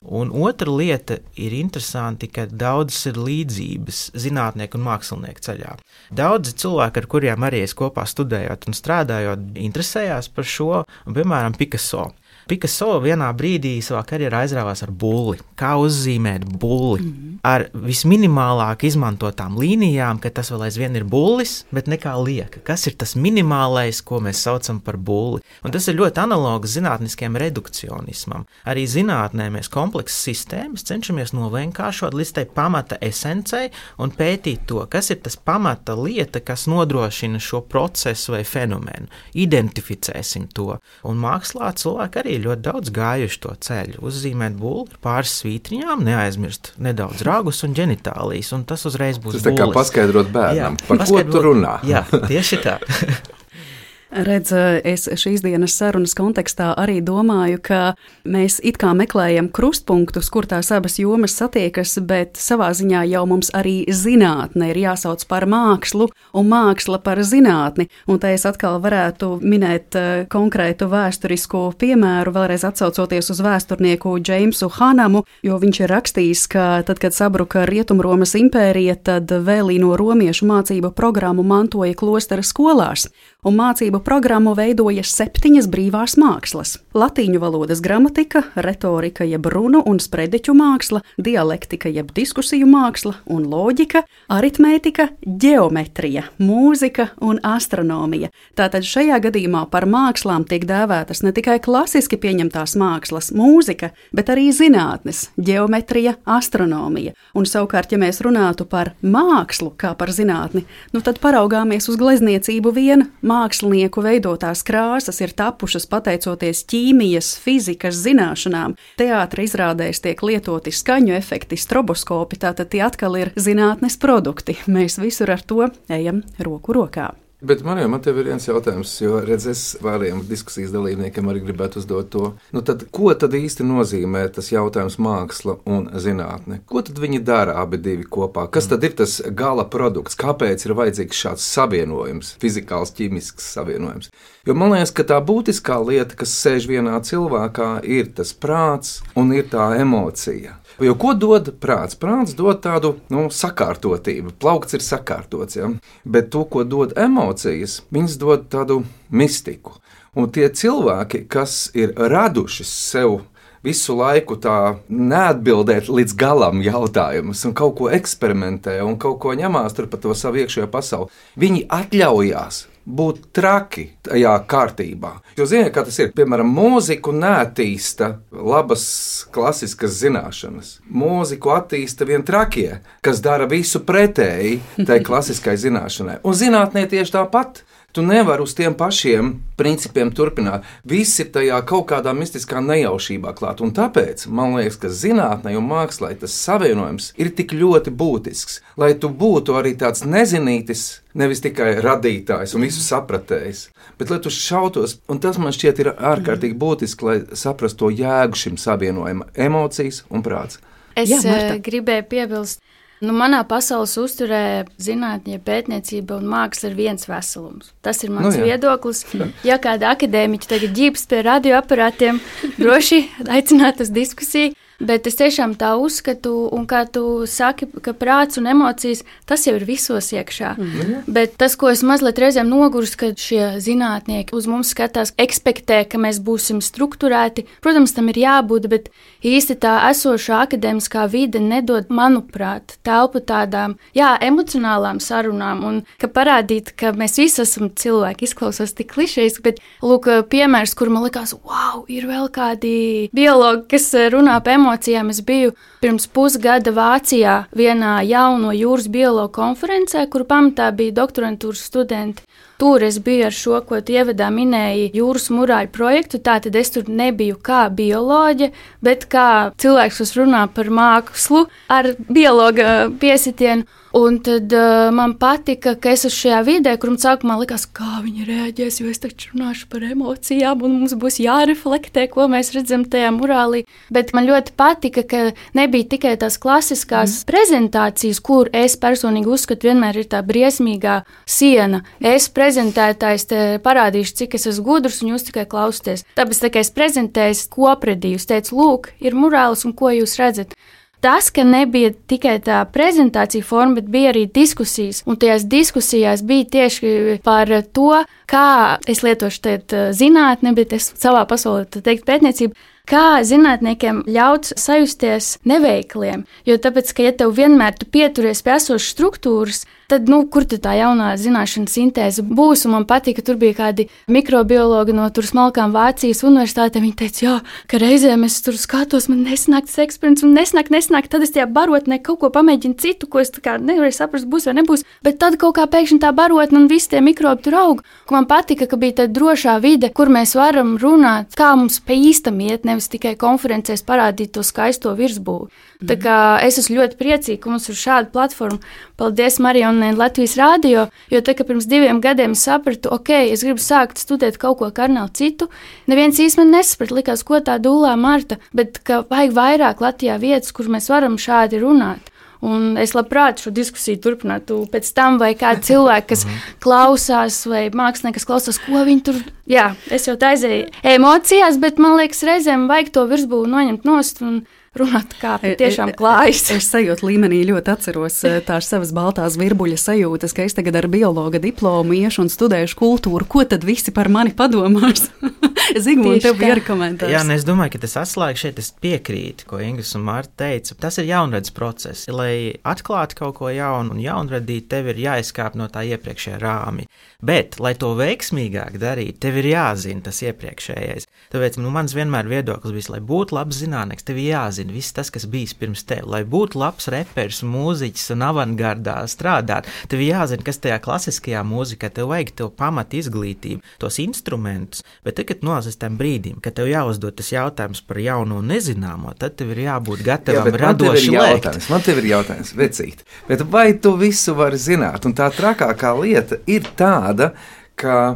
Un otra lieta ir interesanti, ka daudzas ir līdzības zinātnieku un mākslinieku ceļā. Daudzi cilvēki, ar kuriem arī es kopā studējot un strādājot, interesējās par šo, un, piemēram, Picasso. Picasso vienā brīdī savā karjerā aizrāvās ar bulli. Kā uzzīmēt bulli? Ar visminimālāk izmantotām līnijām, ka tas vēl aizvien ir bullis, bet nekā lieka. Kas ir tas minimālais, ko mēs saucam par bulli? Un tas ir ļoti analogs zinātniskiem redukcionismam. Arī zinātnē mēs kompleksas sistēmas cenšamies novienkāršot līdz tai pamata esencei un pētīt to, kas ir tas pamata lieta, kas nodrošina šo procesu vai fenomenu. Identificēsim to. Un mākslā cilvēki arī ļoti daudz gājuši to ceļu. Uzzīmēt bulli, pāris svītriņām, neaizmirst nedaudz ragus un ģenitālijas, un tas uzreiz būs bullis. Tas tā kā paskaidrot bērnam, par ko tu runā. Jā, tieši tā. Redz, es šīs dienas sarunas kontekstā arī domāju, ka mēs it kā meklējam krustpunktus, kur tās abas jomas satiekas, bet savā ziņā jau mums arī zinātne ir jāsauc par mākslu un māksla par zinātni. Un te es atkal varētu minēt konkrētu vēsturisku piemēru, vēlreiz atsaucoties uz vēsturnieku Džeimsu Hanamu, jo viņš ir rakstījis, ka tad, kad sabruka Rietumromas impērija, tad vēlīno romiešu mācību programmu mantoja klostera skolās. Un mācību programmu veidoja 7 brīvās mākslas – latīņu valodas gramatika, retorika jeb runu un sprediķu māksla, dialektika jeb diskusiju māksla un loģika, aritmētika, ģeometrija, mūzika un astronomija. Tātad šajā gadījumā par mākslām tiek dēvētas ne tikai klasiski pieņemtās mākslas, mūzika, bet arī zinātnes, ģeometrija, astronomija. Un savukārt, ja mēs runātu par mākslu kā par zinātni, tad paraugāmies uz glezniecību vien. Mākslinieku veidotās krāsas ir tapušas pateicoties ķīmijas, fizikas zināšanām. Teātra izrādēs tiek lietoti skaņu efekti, stroboskopi, tātad tie atkal ir zinātnes produkti. Mēs visur ar to ejam roku rokā. Bet man tev ir viens jautājums, jo redz, es pārējiem diskusijas dalībniekiem arī gribētu uzdot to. Ko tad īsti nozīmē tas jautājums māksla un zinātne? Ko tad viņi dara abi divi kopā? Kas tad ir tas gala produkts? Kāpēc ir vajadzīgs šāds savienojums, fizikāls, ķīmisks savienojums? Jo man liekas, ka tā būtiskā lieta, kas sēž vienā cilvēkā, ir tas prāts un ir tā emocija. Jo ko dod prāts? Prāts dod tādu sakārtotību. Plaukts ir sakārtots, ja? Bet to, ko dod emocijas, viņas dod tādu mistiku. Un tie cilvēki, kas ir raduši sev visu laiku tā neatbildēt līdz galam jautājumus un kaut ko eksperimentē un kaut ko ņemās tur pa to savu iekšējo pasauli, viņi atļaujās būt traki tajā kārtībā. Jo ziniet, kā tas ir? Piemēram, mūziku neattīsta labas klasiskas zināšanas. Mūziku attīsta vien trakie, kas dara visu pretēji tai klasiskai zināšanai. Un zinātnē tieši tāpat. Tu nevari uz tiem pašiem principiem turpināt. Viss ir tajā kaut kādā mistiskā nejaušībā klāt. Un tāpēc man liekas, ka zinātnei un mākslai tas savienojums ir tik ļoti būtisks, lai tu būtu arī tāds nezinītis, nevis tikai radītājs un visu sapratējs, bet lai tu šautos. Un tas man šķiet ir ārkārtīgi būtiski, lai saprastu to jēgu šim savienojumam - emocijas un prāts. Es gribēju piebilst. Manā pasaules uzturē zinātņa, pētniecība un māksla ir viens veselums. Tas ir mans viedoklis. Ja kāda akadēmiķa tagad ģības pie radioaparātiem, droši aicināt uz diskusiju. Bet es tiešām tā uzskatu, un kā tu saki, ka prāts un emocijas, tas jau ir visos iekšā. Bet tas, ko es mazliet reizēm nogurstu, kad šie zinātnieki uz mums skatās, ekspektē, ka mēs būsim strukturēti. Protams, tam ir jābūt, bet īsti tā esošā akadēmiskā vide nedod, manuprāt, telpu tādām, emocionālām sarunām, un ka parādīt, ka mēs visi esam cilvēki, izklausās tik klišejiski, bet, lūk, piemērs, kur man likās, wow, ir vēl kādi biologi, kas runā par emocijām. Es biju pirms pusgada Vācijā vienā jauno jūras biologu konferencē, kur pamatā bija doktorantūras studenti. Tur es biju ar šo, ko tu ievadā minēji, jūras murāļu projektu. Tātad es tur nebiju kā bioloģe, bet kā cilvēks, kas runā par mākslu ar biologa piesitienu. Un tad man patika, ka es esmu šajā vidē, kur man sākumā likās, kā viņi reaģēs, jo es taču runāšu par emocijām, un mums būs jāreflektē, ko mēs redzam tajā murālī. Bet man ļoti patika, ka nebija tikai tās klasiskās prezentācijas, kur es personīgi uzskatu, vienmēr ir tā briesmīgā siena. Es prezentētājs te parādīšu, cik es esmu gudrs, un jūs tikai klausieties. Tāpēc, tā kā es prezentēju kopredī, es teicu, lūk, ir murāls, un ko jūs redzat? Tas, ka nebija tikai tā prezentācija forma, bet bija arī diskusijas. Un tajās diskusijās bija tieši par to, kā es lietošu teikt zinātne, bet es savā pasaulē teiktu pētniecību, kā zinātniekiem ļaut sajusties neveikliem. Jo tāpēc, ka ja tev vienmēr tu pieturies pie esošas struktūras, tad, kur tad tā jaunā zināšana sintēze būs? Un man patīk, ka tur bija kādi mikrobiologi no tur smalkām Vācijas universitātē. Viņi teica, jā, ka reizēm es tur skatos, man nesanāk tas eksperiments, un nesanāk, tad es tajā barotnē kaut ko pamēģinu citu, ko es tā kā nevarēju saprast, būs vai nebūs. Bet tad kaut kā pēkšņi tā barotne un visi tie mikrobi tur aug. Man patika, ka bija tāda drošā vide, kur mēs varam runāt, kā mums pa īstam iet, nevis tikai konferencēs parādīt to skaisto virsbūvi. Tā kā es esmu ļoti priecīga, ka mums ir šāda platforma. Paldies Marijonai Latvijas Rādio, jo tā kā pirms 2 gadiem es sapratu, es gribu sākt studēt kaut ko kardināli citu. Neviens īsti man nesaprata, likās, ko tā dūlā Marta, bet ka vajag vairāk Latvijā vietas, kur mēs varam šādi runāt. Un es labprāt šo diskusiju turpinātu pēc tam, vai kādi cilvēki, kas klausās, vai mākslinieki, kas klausās, ko viņi tur. Jā, es jau tā aizēju emocijās, bet man liekas, reizēm vajag to virsbūvi noņemt nost un runāt, kā patiešām klājas. Es sajūtu līmenī ļoti atceros tās savas baltās virbuļa sajūtas, ka es tagad ar biologa diplomu iešu un studēšu kultūru. Ko tad visi par mani padomās? Zigmund, tev bija arī komentārs. Jā, es domāju, ka tas atslēga šeit, es piekrītu, ko Ingris un Marta teica. Tas ir jaunredzes process. Lai atklātu kaut ko jaunu un jaunradīt, tev ir jāizkāp no tā iepriekšējā rāmja. Bet, lai to veiksmīgāk darītu, tev ir jāzina tas iepriekšējais. Tāpēc mans vienmēr viedoklis bija, lai būtu labs zinātnieks, tev ir jāzina viss tas, kas bijis pirms tev. Lai būtu labs reperis, mūziķis un avangardā strādāt, tev ir jāzina, kas tajā klasiskajā mūzikā, tev vajag to pamat izglītību, tos instrumentus, bet tagad nonācis tam brīdim, kad tev jāuzdod tas jautājums par jauno un nezināmo, tad tev ir jābūt gatavam radoši lēkt. Man tev ir jautājums, vecīt, bet vai tu visu vari zināt? Un tā trakākā lieta ir tāda, ka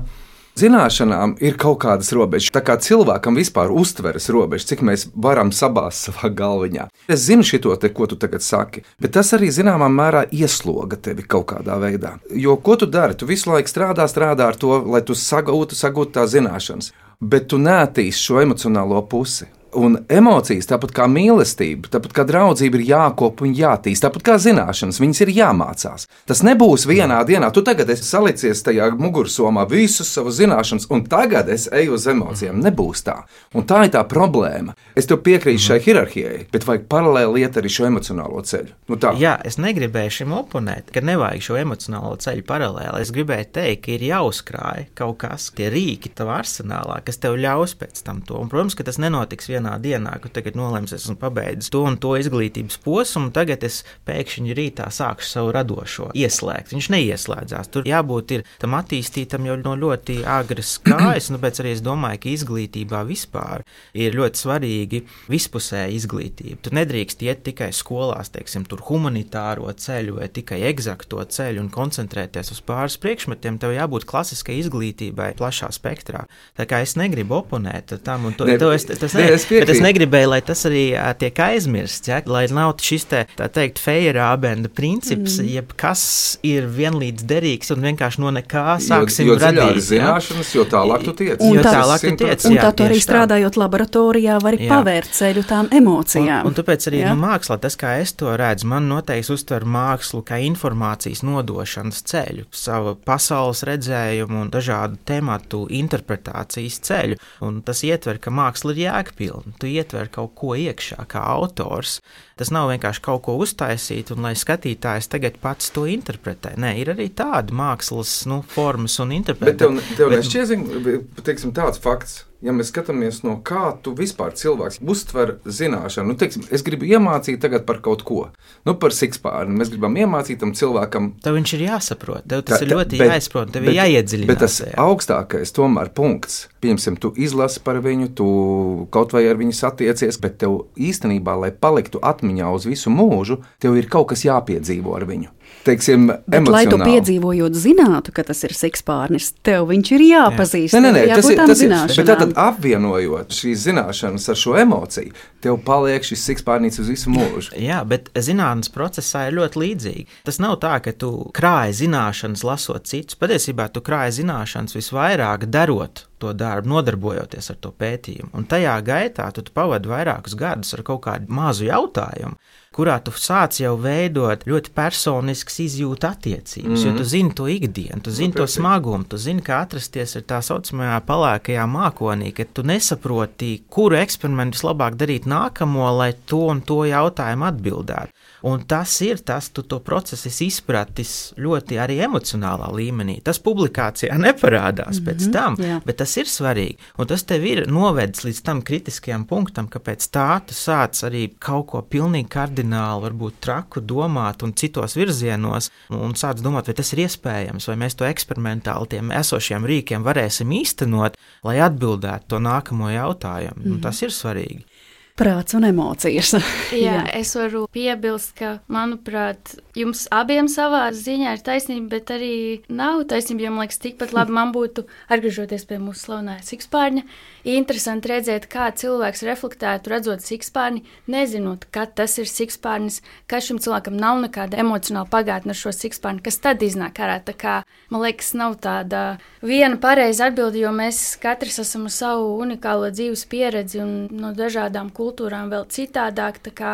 zināšanām ir kaut kādas robežas. Tā kā cilvēkam vispār uztveres robežas, cik mēs varam sabāzt savā galviņā. Es zinu šito te, ko tu tagad saki, bet tas arī zināmā mērā iesloga tevi kaut kādā veidā. Jo ko tu dari? Tu visu laiku strādā ar to, lai tu sagūtu tās zināšanas, bet tu neattīsti šo emocionālo pusi. Un emocijas, tāpat kā mīlestība, tāpat kā draudzība, ir jākop un jātīst, tāpat kā zināšanas, viņas ir jāmācās. Tas nebūs vienā dienā. Tu tagad esi salicies tajā mugursomā visus savus zināšanas, un tagad es eju uz emocijām. Nebūs tā. Un tā ir tā problēma. Es tev piekrītu šai hierarhijai, bet vajag paralēli iet arī šo emocionālo ceļu. Jā, es negribēju šim oponēt, ka nevajag šo emocionālo ceļu paralēli. Es gribēju teikt, ka ir jāuzkrāj kaut kas, tie rīki tavā arsenālā, kas tev ļaus pēc tam to. Un, protams, ka tas nenotiks vienā dienā, ka tagad nolēms, esmu pabeidzis to un to izglītības posmu, un tagad es pēkšņi rītā sākšu savu radošo ieslēgt. Viņš neieslēdzās. Tur jābūt tam attīstītam jau no ļoti agras kājas, un tāpēc arī es domāju, ka izglītībā vispār ir ļoti svarīgi vispusēja izglītība. Tu nedrīkst iet tikai skolās, teiksim, tur humanitāro ceļu vai tikai egzakto ceļu un koncentrēties uz pāris priekšmetiem. Tev jābūt klasiskai izglītībai plašā spektrā. Tā kā es negribu oponēt tam, un bet es negribēju, lai tas arī tiek aizmirsts, ja? Lai nav šis tā teikt Feyerabenda princips, jeb kas ir vienlīdz derīgs un vienkārši no nekā sāksim radīt. Jo zināšanas, jo tālāk tu tiec. Un tā tu arī strādājot laboratorijā vari pavērt ceļu tām emocijām. Un tāpēc arī mākslā, tas kā es to redzu, man noteikti uztver mākslu kā informācijas nodošanas ceļu, savu pasaules redzējumu un dažādu tematu interpretācijas ceļu. Un tas ietver, ka māksla ir jēgpilna. Tu ietver kaut ko iekšā, kā autors. Tas nav vienkārši kaut ko uztaisīt, un lai skatītājs tagad pats to interpretē. Nē, ir arī tāda mākslas formas un interpretācija. Bet tev nešķiet, teiksim, tāds fakts. Ja mēs skatāmies no kā tu vispār cilvēks uztver zināšanu, es gribu iemācīt tagad par kaut ko, par sikspārni, mēs gribam iemācīt tam cilvēkam. Tev viņš ir jāsaprot, tev tas ir ļoti jāizprot, tev ir jāiedziļinās. Bet tas augstākais tomēr punkts, piemēram, tu izlasi par viņu, tu kaut vai ar viņu satiecies, bet tev īstenībā, lai paliktu atmiņā uz visu mūžu, tev ir kaut kas jāpiedzīvo ar viņu. teiksim, emocionāli. Lai tu piedzīvojot zinātu, ka tas ir sikspārnis, tev viņš ir jāpazīst. Nē, tas ir, bet tātad apvienojot šīs zināšanas ar šo emociju, tev paliek šis sikspārnīts uz visu mūžu. Jā, bet zinātnes procesā ir ļoti līdzīgi. Tas nav tā, ka tu krāji zināšanas lasot citus. Patiesībā tu krāji zināšanas visvairāk darot to darbu, nodarbojoties ar to pētījumu. Un tajā gaitā tu pavadi vairākus gadus ar kaut kādu mazu jautājumu, kurā tu sāc jau veidot ļoti personiskas izjūta attiecības, jo tu zini to ikdienu, tu zini to smagumu, tu zini, kā atrasties ar tā saucamajā palēkajā mākonī, ka tu nesaproti, kuru eksperimentu vislabāk darīt nākamo, lai to un to jautājumu atbildētu. Un tas ir tas, tu to procesu izpratis ļoti arī emocionālā līmenī. Tas publikācijā neparādās pēc tam, bet tas ir svarīgi. Un tas tev ir novedis līdz tam kritiskajam punktam, ka pēc tā tu sāc arī kaut ko pilnīgi kardināli, varbūt traku domāt un citos virzienos, un sāc domāt, vai tas ir iespējams, vai mēs to eksperimentāli tiem esošiem rīkiem varēsim īstenot, lai atbildētu to nākamo jautājumu. Un tas ir svarīgi. Prāts un emocijas. Jā, es varu piebilst, ka, manuprāt, jums abiem savā ziņā ir taisnība, bet arī nav taisnība, jo, man liekas, tikpat labi man būtu, atgriežoties pie mūsu slavenā sikspārņa, interesanti redzēt, kā cilvēks reflektētu, redzot sikspārni, nezinot, kad tas ir sikspārnis, ka šim cilvēkam nav nekāda emocionāla pagātne ar šo sikspārni, kas tad iznāk ārā. Tā kā, man liekas, nav tāda viena pareiza atbilde, jo mēs katrs esam ar savu unikālo dzīves pieredzi un no dažādām kultūrām vēl citādāk, tā kā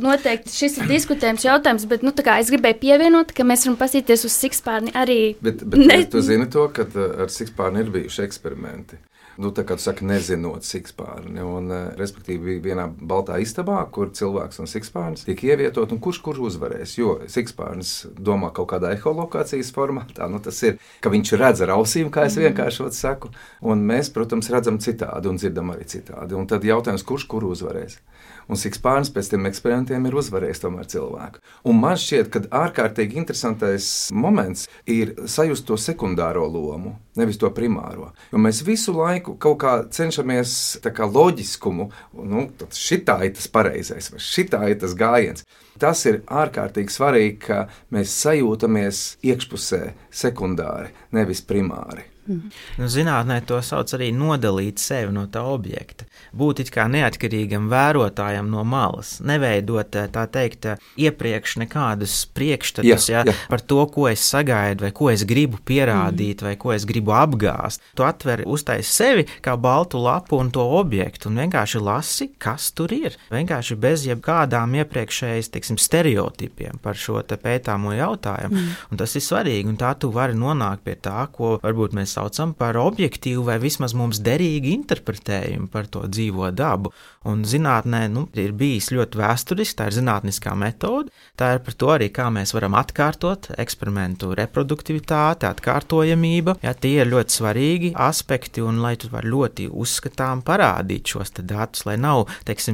noteikti šis ir diskutējums jautājums, bet es gribēju pievienot, ka mēs varam pasīties uz sikspārni arī. Bet tu zini to, ka ar sikspārni ir bijuši eksperimenti. Tā kā tu saki, nezinot sikspārni, un respektīvi vienā baltā istabā, kur cilvēks un sikspārnis tiek ievietot, un kurš uzvarēs, jo sikspārnis domā kaut kādā eholokācijas formātā, tas ir, ka viņš redz ar ausīm, kā es vienkāršot saku, un mēs, protams, redzam citādi un dzirdam arī citādi, un tad jautājums, kurš uzvarēs. Un sikspārnis pēc tiem eksperimentiem ir uzvarējis tomēr cilvēku. Un man šķiet, ka ārkārtīgi interesantais moments ir sajust to sekundāro lomu, nevis to primāro. Jo mēs visu laiku kaut kā cenšamies tā kā loģiskumu, tad šitā ir tas pareizais, vai šitā ir tas gājiens. Tas ir ārkārtīgi svarīgi, ka mēs sajūtamies iekšpusē sekundāri, nevis primāri. Zinātnē to sauc arī nodalīt sevi no tā objekta. Būt it kā neatkarīgam vērotājam no malas, neveidot, tā teikt, iepriekš nekādus priekšstatus par to, ko es sagaidu, vai ko es gribu pierādīt, vai ko es gribu apgāst. Tu atver uztais sevi kā baltu lapu un to objektu, un vienkārši lasi, kas tur ir. Vienkārši bez jebkādām iepriekšējas, stereotipiem par šo te pētāmo jautājumu. Un tas ir svarīgi, un tā tu vari nonākt pie tā, ko varbūt mēs saucam par objektīvu vai vismaz mums derīgu interpretējumu par to dzīvo dabu. Un zinātnē ir bijis ļoti vēsturiski, tā ir zinātniskā metode, tā ir par to arī, kā mēs varam atkārtot eksperimentu reproduktivitāti, atkārtojamība. Tie ir ļoti svarīgi aspekti, un lai tu vari ļoti uzskatām parādīt šos te datus, lai nav,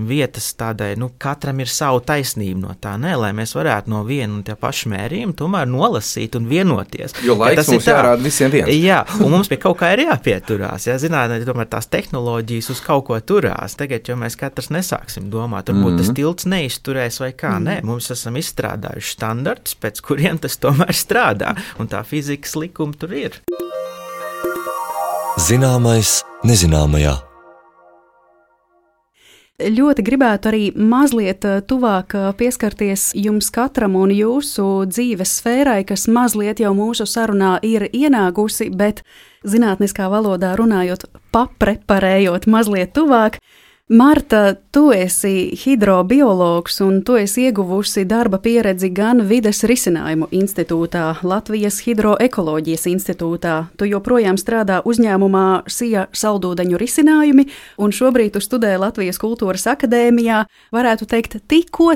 vietas tādai, katram ir savu taisnību no tā, lai mēs varētu no viena un tie paši mērījumi tomēr nolasīt un vienoties. Jo laiks mums jārāda visiem viens. Jā, un mums pie kaut kā ir jāpieturās. Zinātnē, tomēr tās tehnoloģijas uz kaut ko turās. Tagad, jo mēs katrs nesāksim domāt, varbūt tas tilts neizturēs vai kā. Nē, mums esam izstrādājuši standartus, pēc kuriem tas tomēr strādā. Un tā fizikas likuma tur ir. Zināmais nezināmajā. Ļoti gribētu arī mazliet tuvāk pieskarties jums katram un jūsu dzīves sfērai, kas mazliet jau mūsu sarunā ir ienākusi, bet zinātniskā valodā runājot, papreparējot mazliet tuvāk. Marta, tu esi hidrobiologs un tu esi ieguvusi darba pieredzi gan Vides risinājumu institūtā, Latvijas hidroekoloģijas institūtā. Tu joprojām strādā uzņēmumā SIA saldūdeņu risinājumi un šobrīd tu studē Latvijas kultūras akadēmijā. Varētu teikt, tikko,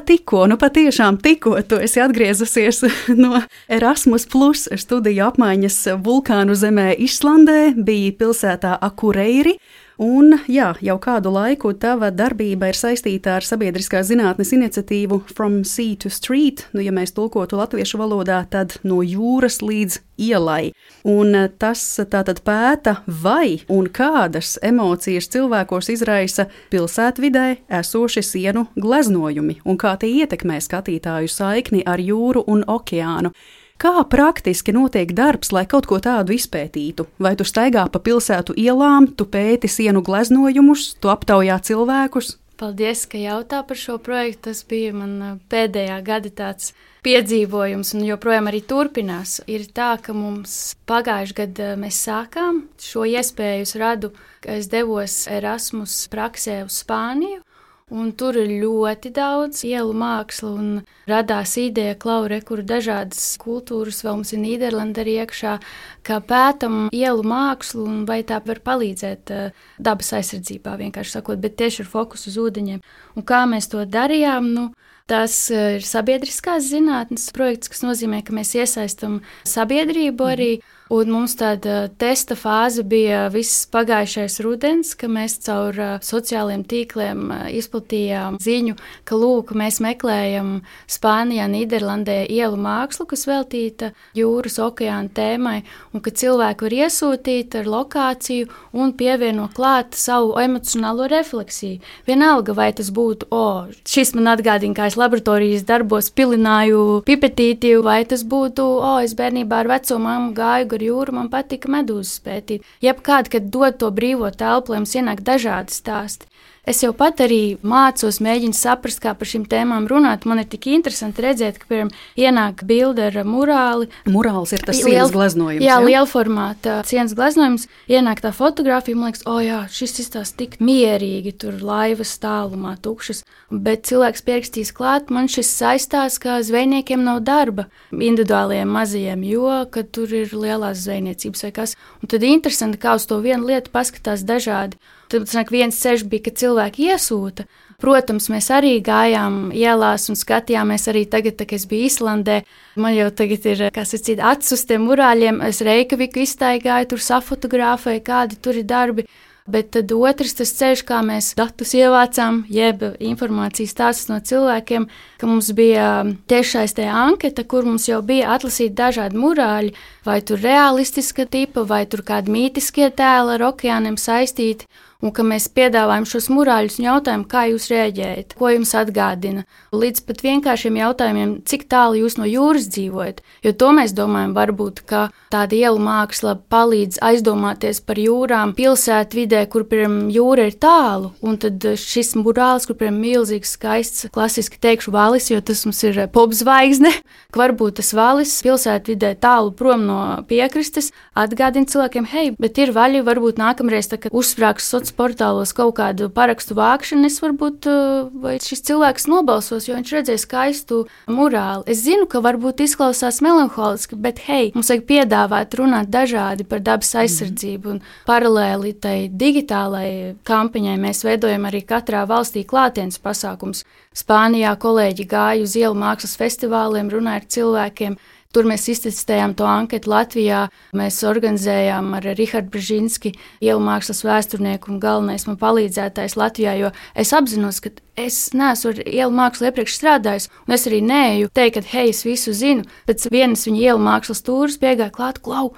patiešām tikko tu esi atgriezusies no Erasmus Plus studiju apmaiņas vulkānu zemē Islandē, biji pilsētā Akureiri. Un, jā, jau kādu laiku tava darbība ir saistīta ar sabiedriskās zinātnes iniciatīvu From Sea to Street, ja mēs tulkotu latviešu valodā, tad no jūras līdz ielai. Un tas tātad pēta, vai un kādas emocijas cilvēkos izraisa pilsētvidē esoši sienu gleznojumi un kā tie ietekmē skatītāju saikni ar jūru un okeānu. Kā praktiski notiek darbs, lai kaut ko tādu izpētītu? Vai tu staigā pa pilsētu ielām, tu pēti sienu gleznojumus, tu aptaujā cilvēkus? Paldies, ka jautā par šo projektu. Tas bija man pēdējā gada tāds piedzīvojums un joprojām arī turpinās. Ir tā, ka mums pagājuši gadu mēs sākām šo iespēju radu, ka es devos Erasmus praksē uz Spāniju. Un tur ir ļoti daudz ielu mākslu un radās ideja, kur dažādas kultūras, vēl mums ir Nīderlanda arī iekšā, kā pētam ielu mākslu un vai tā var palīdzēt dabas aizsardzībā, vienkārši sakot, bet tieši ar fokusu uz ūdeņiem. Un kā mēs to darījām? Tas ir sabiedriskās zinātnes projekts, kas nozīmē, ka mēs iesaistam sabiedrību arī. Un mums tāda testa fāze bija viss pagājušais rudens, ka mēs caur sociāliem tīkliem izplatījām ziņu, ka lūk, mēs meklējam Spānijā, Nīderlandē ielu mākslu, kas veltīta jūras okeāna tēmai, un ka cilvēki var iesūtīt ar lokāciju un pievienot klāt savu emocionālo refleksiju. Vienalga, vai tas būtu, šis man atgādina, kā es laboratorijas darbos pilināju pipetīti, vai tas būtu, es bērnībā ar veco mammu gāju ar jūru, man patika medūzas pētīt. Jebkādi, kad dod to brīvo telpu, lai mums ienāk dažādi stāsti. Es jau pat arī mācos, mēģinu saprast, kā par šīm tēmām runāt. Man ir tik interesanti redzēt, ka, piemēram, ienāk bilde ar murāli. Murāls ir tas sienas gleznojums. Jā, liela formāta sienas gleznojums. Ienāk tā fotografija, man liekas, jā, šis izstās tik mierīgi, tur laivas tālumā tukšas. Bet cilvēks pierakstīs klāt, man šis saistās, ka zvejniekiem nav darba individuāliem mazajiem, jo, kad tur ir lielās zvejniecības vai kas. Un tad interesanti, kā uz to vienu lietu paskatās dažādi. Tad viens ceļš bija, ka cilvēki iesūta. Protams, mēs arī gājām ielās un skatījāmies arī tagad, kad es biju Islandē. Man jau tagad ir, acis uz tiem murāļiem. Es Reikaviku iztaigāju, tur safotografēju, kādi tur ir darbi. Bet tad otrs tas ceļš, kā mēs datus ievācām, jeb informācijas stāstus no cilvēkiem, ka mums bija tiešais tajā anketa, kur mums jau bija atlasīti dažādi murāļi, vai tur realistiska tipa, vai tur kādi mītiskie tēli ar okeāniem saistīti. Un ka mēs piedāvājam šos murāļus un jautājam, kā jūs reaģējat, ko jums atgādina. Līdz pat vienkāršiem jautājumiem, cik tālu jūs no jūras dzīvojat. Jo to mēs domājam, varbūt, ka tāda ielu māksla palīdz aizdomāties par jūrām pilsētvidē, kur, piemēram, jūra ir tālu. Un tad šis murāls, kur, piemēram, milzīgs, skaists, klasiski teikšu valis, jo tas mums ir popzvaigzne, ka varbūt tas valis pilsētvidē tālu prom no piekrastes atgādina cilvēkiem, hei, bet ir vaļi, varbūt nākamreiz, tā, kad uzsprāgs sociālajos portālos kaut kādu parakstu vākšanu, es varbūt, vai šis cilvēks nobalsos, jo viņš redzēja skaistu murāli. Es zinu, ka varbūt izklausās melanholiski, bet hei, mums vajag piedāvāt runāt dažādi par dabas aizsardzību un paralēli tai digitālai kampaņai mēs veidojam arī katrā valstī klātienes pasākums. Spānijā kolēģi gāja uz ielu mākslas festivāliem, runāja ar cilvēkiem. Tur mēs iztestējām to anketu Latvijā. Mēs organizējām ar Rihardu Brzezinski, ielu mākslas vēsturnieku un galvenais man palīdzētājs Latvijā, jo es apzinos, ka es neesmu ar ielu mākslu iepriekš strādājis, un es arī neeju teikt, ka hei, es visu zinu. Pēc vienas viņa ielu mākslas tūras piegāja klāt, klau,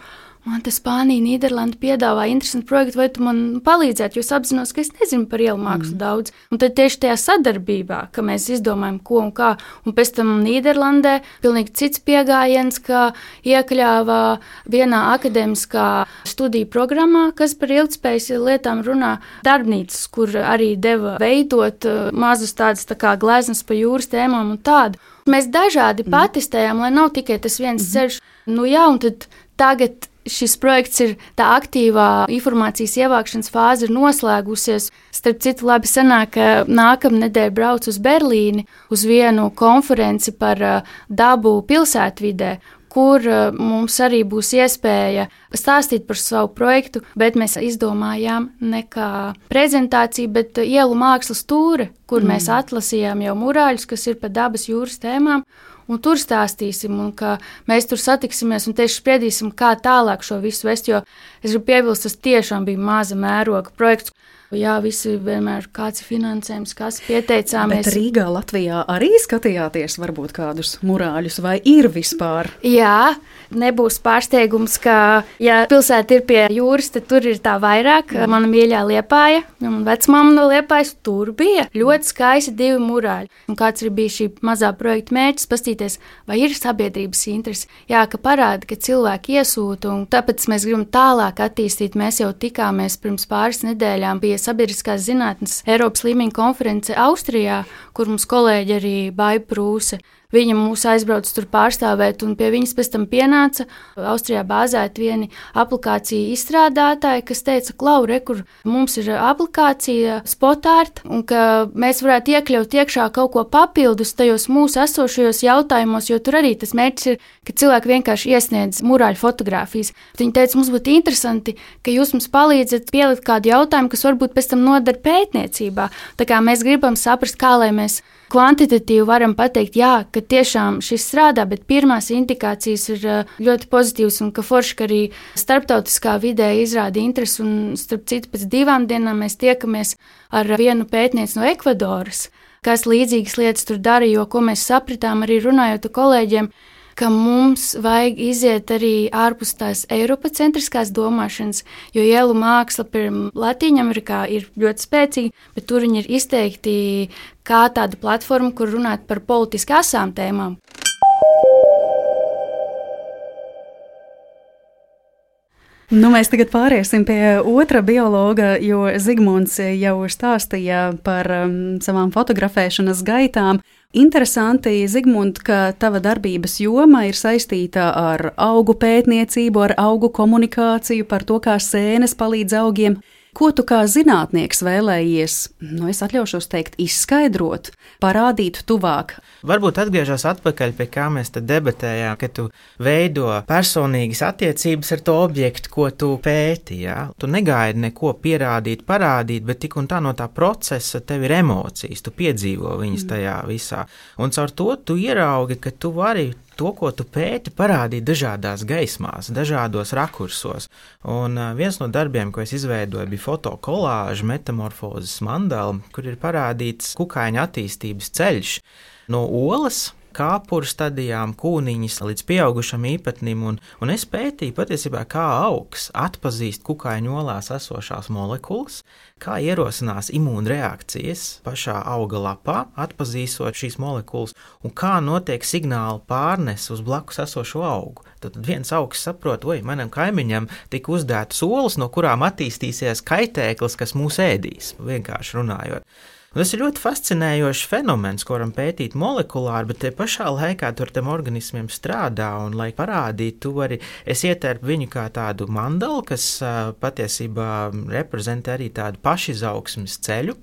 man te Spānija, Nīderlanda piedāvā interesantu projektu, vai tu man palīdzētu, jo es apzinos, ka es nezinu par ielu mākslu daudz. Un tad tieši tajā sadarbībā, ka mēs izdomājam, ko un kā, un pēc tam Nīderlandē pilnīgi cits piegājiens, ka iekļāvā vienā akadēmiskā studiju programmā, kas par ilgtspējas lietām runā, darbnīcas, kur arī deva veidot mazus tādas tā kā gleznas pa jūras tēmām un tādu. Mēs dažādi patestējām, lai nav tikai tas viens ceļš. Un tad tagad šis projekts ir tā aktīvā informācijas ievākšanas fāze ir noslēgusies. Starp citu, labi sanāk, ka nākamnedēļ braucu uz Berlīni uz vienu konferenci par dabu pilsētvidē, kur mums arī būs iespēja stāstīt par savu projektu, bet mēs izdomājām ne kā prezentāciju, bet ielu mākslas tūre, kur mēs atlasījām jau murāļus, kas ir par dabas jūras tēmām. un tur stāstīsim, un ka mēs tur satiksimies un tieši spriedīsim, kā tālāk šo visu vest, jo es gribu piebilst, tas tiešām bija maza mēroga projekts. Jā, visi vienmēr kāds ir finansējums, kas pieteicāmies. Bet Rīgā, Latvijā arī skatījāties varbūt kādus murāļus, vai ir vispār? Jā, nebūs pārsteigums, ka, ja pilsēta ir pie jūras, tad tur ir tā vairāk. Mana mīļā Liepāja, un vecmāma no Liepājas, tur bija ļoti skaisti 2 murāļi. Un kāds ir bijis šī mazā projekta mērķis, pastīties, vai ir sabiedrības interesi. Jā, ka parāda, ka cilvēki iesūta, un tāpēc mēs gribam tālāk attīstīt. Mēs jau tikāmies pirms pāris nedēļām pie sabiedriskās zinātnes Eiropas līmeņa konference Austrijā, kur mums kolēģi arī Baiba Prūse. Viņa mūs aizbrauc tur pārstāvēt, un pie viņas pēc tam pienāca Austrijā bāzēti vieni aplikāciju izstrādātāji, kas teica, Klau, re, kur mums ir aplikācija Spotart, un ka mēs varētu iekļaut iekšā kaut ko papildus tajos mūsu esošajos jautājumos, jo tur arī tas mērķis ir, ka cilvēki vienkārši iesniedz murāļu fotogrāfijas. Viņa teica, mums būtu interesanti, ka jūs mums palīdzat pielikt kādu jautājumu, kas varbūt pēc tam noder pētniecībā. Tā kā mēs gribam saprast, kā lai mēs kvantitatīvi varam pateikt, jā, ka tiešām šis strādā, bet pirmās indikācijas ir ļoti pozitīvas un ka forši, ka arī starptautiskā vidē izrāda interesi un starp citu pēc 2 dienām mēs tiekamies ar vienu pētnieci no Ekvadoras, kas līdzīgas lietas tur dara, jo ko mēs sapratām arī runājot ar kolēģiem, ka mums vajag iziet arī ārpus tās eiropacentriskās domāšanas, jo ielu māksla pirms Latīņamerikā ir ļoti spēcīga, bet tur viņi ir izteikti kā tāda platforma, kur runāt par politiski asām tēmām. Mēs tagad pāriesim pie otra biologa, jo Zigmunds jau stāstīja par savām fotografēšanas gaitām. Interesanti, Zigmund, ka tava darbības joma ir saistīta ar augu pētniecību, ar augu komunikāciju, par to, kā sēnes palīdz augiem. Ko tu kā zinātnieks vēlējies, es atļaušos teikt, izskaidrot, parādīt tuvāk? Varbūt atgriežos atpakaļ pie kā mēs te debatējām, ka tu veido personīgas attiecības ar to objektu, ko tu pēti. Ja? Tu negaidi neko pierādīt, parādīt, bet tik un tā no tā procesa tev ir emocijas, tu piedzīvo viņas tajā visā. Un caur to tu ieraugi, ka tu vari to, ko tu pēti, parādīt dažādās gaismās, dažādos rakursos. Un viens no darbiem, ko es izveidoju, bija fotokolāža metamorfozes mandala, kur ir parādīts kukaiņa attīstības ceļš no olas, kāpuru stadijām, kūniņas līdz pieaugušam īpatnim, un es pētīju patiesībā, kā augs atpazīst kukaiņu olās esošās molekulas, kā ierosinās imūnreakcijas pašā auga lapā, atpazīstot šīs molekulas, un kā notiek signāla pārnes uz blakus esošo augu. Tad viens augs saprot, manam kaimiņam tika uzdētas olas, no kurām attīstīsies kaitēklis, kas mūs ēdīs, vienkārši runājot. Un tas ir ļoti fascinējošs fenomens, ko varam pētīt molekulāri, bet te pašā laikā tu ar tiem organismiem strādā, un, lai parādītu, es ietērpu viņu kā tādu mandalu, kas patiesībā reprezentē arī tādu pašizaugsmes ceļu.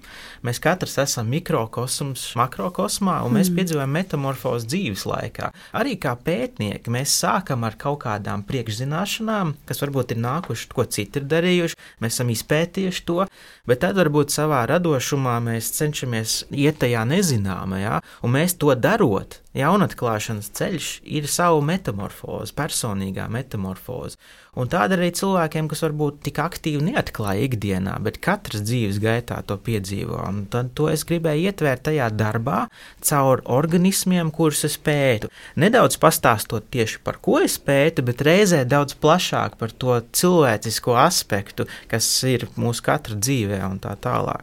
Mēs katrs esam mikrokosms makrokosmā, un mēs piedzīvojam metamorfozi dzīves laikā. Arī kā pētnieki mēs sākam ar kaut kādām priekšzināšanām, kas varbūt ir nākuši, ko citi ir darījuši, mēs esam izpētījuši to, bet tad varbūt savā radošumā mēs cenšamies iet tajā nezināmajā, un mēs to darot, jaunatklāšanas ceļš ir savu metamorfozi, personīgā metamorfozi. Un tāda arī cilvēkiem, kas varbūt tik aktīvi neatklāja ikdienā, bet katras dzīves gaitā to piedzīvo. Un tad to es gribēju ietvērt tajā darbā caur organismiem, kurus es pētu. Nedaudz pastāstot tieši par ko es pētu, bet reizē daudz plašāk par to cilvēcisko aspektu, kas ir mūsu katra dzīvē un tā tālāk.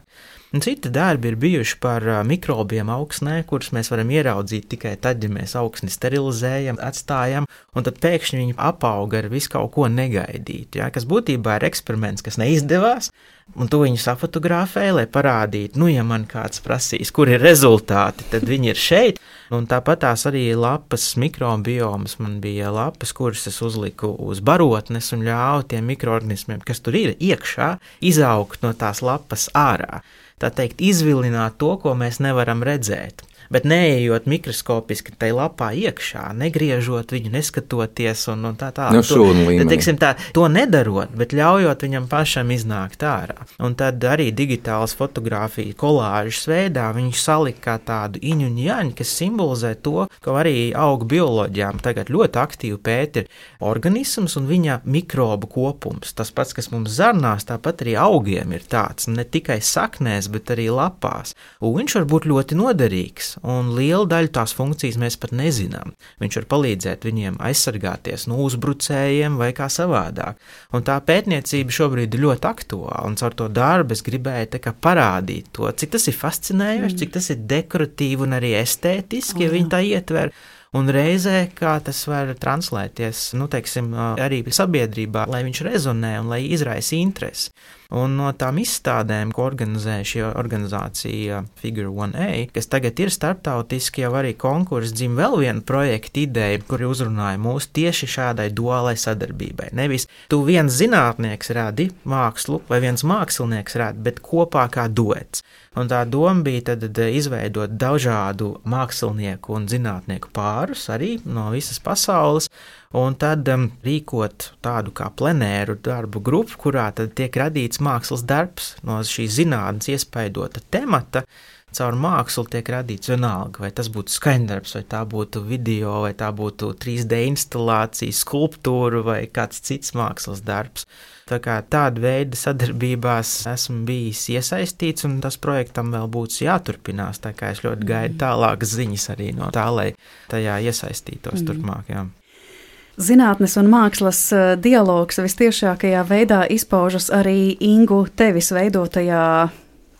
Un citi darbi ir bijuši par mikrobiem augsnē, kurus mēs varam ieraudzīt tikai tad, ja mēs augsni sterilizējam, atstājam, un tad pēkšņi viņi apauga ar visu kaut ko negaidītu, ja, kas būtībā ir eksperiments, kas neizdevās, un tu viņu safotografē, lai parādītu, ja man kāds prasīs, kur ir rezultāti, tad viņi ir šeit, un tāpat tās arī lapas mikrobiomas, man bija lapas, kuras es uzliku uz barotnes un ļāvu tiem mikroorganismiem, kas tur ir iekšā, izaugt no tās lapas ārā. Tā teikt, izvilināt to, ko mēs nevaram redzēt. Bet neejot mikroskopiski tai lapā iekšā, negriežot viņu, neskatoties un tā tālāk. To nedarot, bet ļaujot viņam pašam iznākt ārā. Un tad arī digitālas fotogrāfija kolāžas veidā viņš salika tādu iņu un jaņu, kas simbolizē to, ka arī augu bioloģijām tagad ļoti aktīvi pēta ir organisms un viņa mikrobu kopums. Tas pats, kas mums zarnās, tāpat arī augiem ir tāds, ne tikai saknēs, bet arī lapās. Un viņš var būt ļoti noderīgs. Un lielu daļu tās funkcijas mēs pat nezinām. Viņš var palīdzēt viņiem aizsargāties no uzbrucējiem vai kā savādāk. Un tā pētniecība šobrīd ir ļoti aktuāla, un caur to darbu es gribēju parādīt to, cik tas ir fascinējoši, cik tas ir dekoratīvi un arī estētiski, ja viņi tā ietver. Un reizē, kā tas var translēties, arī sabiedrībā, lai viņš rezonē un lai izraisa interesi. Un no tām izstādēm, ko organizē šī organizācija Figure 1A, kas tagad ir starptautiski, jau arī konkurss dzim vēl viena projekta ideja, kuri uzrunāja mūs tieši šādai duālai sadarbībai. Nevis tu viens zinātnieks radi mākslu vai viens mākslinieks radi, bet kopā kā duets. Un tā doma bija tad izveidot dažādu mākslinieku un zinātnieku pārus arī no visas pasaules, un tad rīkot tādu kā plenēru darbu grupu, kurā tad tiek radīts mākslas darbs no šīs zinātnes iespaidota temata. Caur mākslu tiek radīts vienalga, vai tas būtu skaņdarbs, vai tā būtu video, vai tā būtu 3D instalācija, skulptūra vai kāds cits mākslas darbs. Tā kā tāda veida sadarbībās esmu bijis iesaistīts, un tas projektam vēl būs jāturpinās, tā kā es ļoti gaidu tālākas ziņas arī no tā, lai tajā iesaistītos turpmāk, jā. Zinātnes un mākslas dialogs vistiešākajā veidā izpaužas arī Ingu tevis veidotajā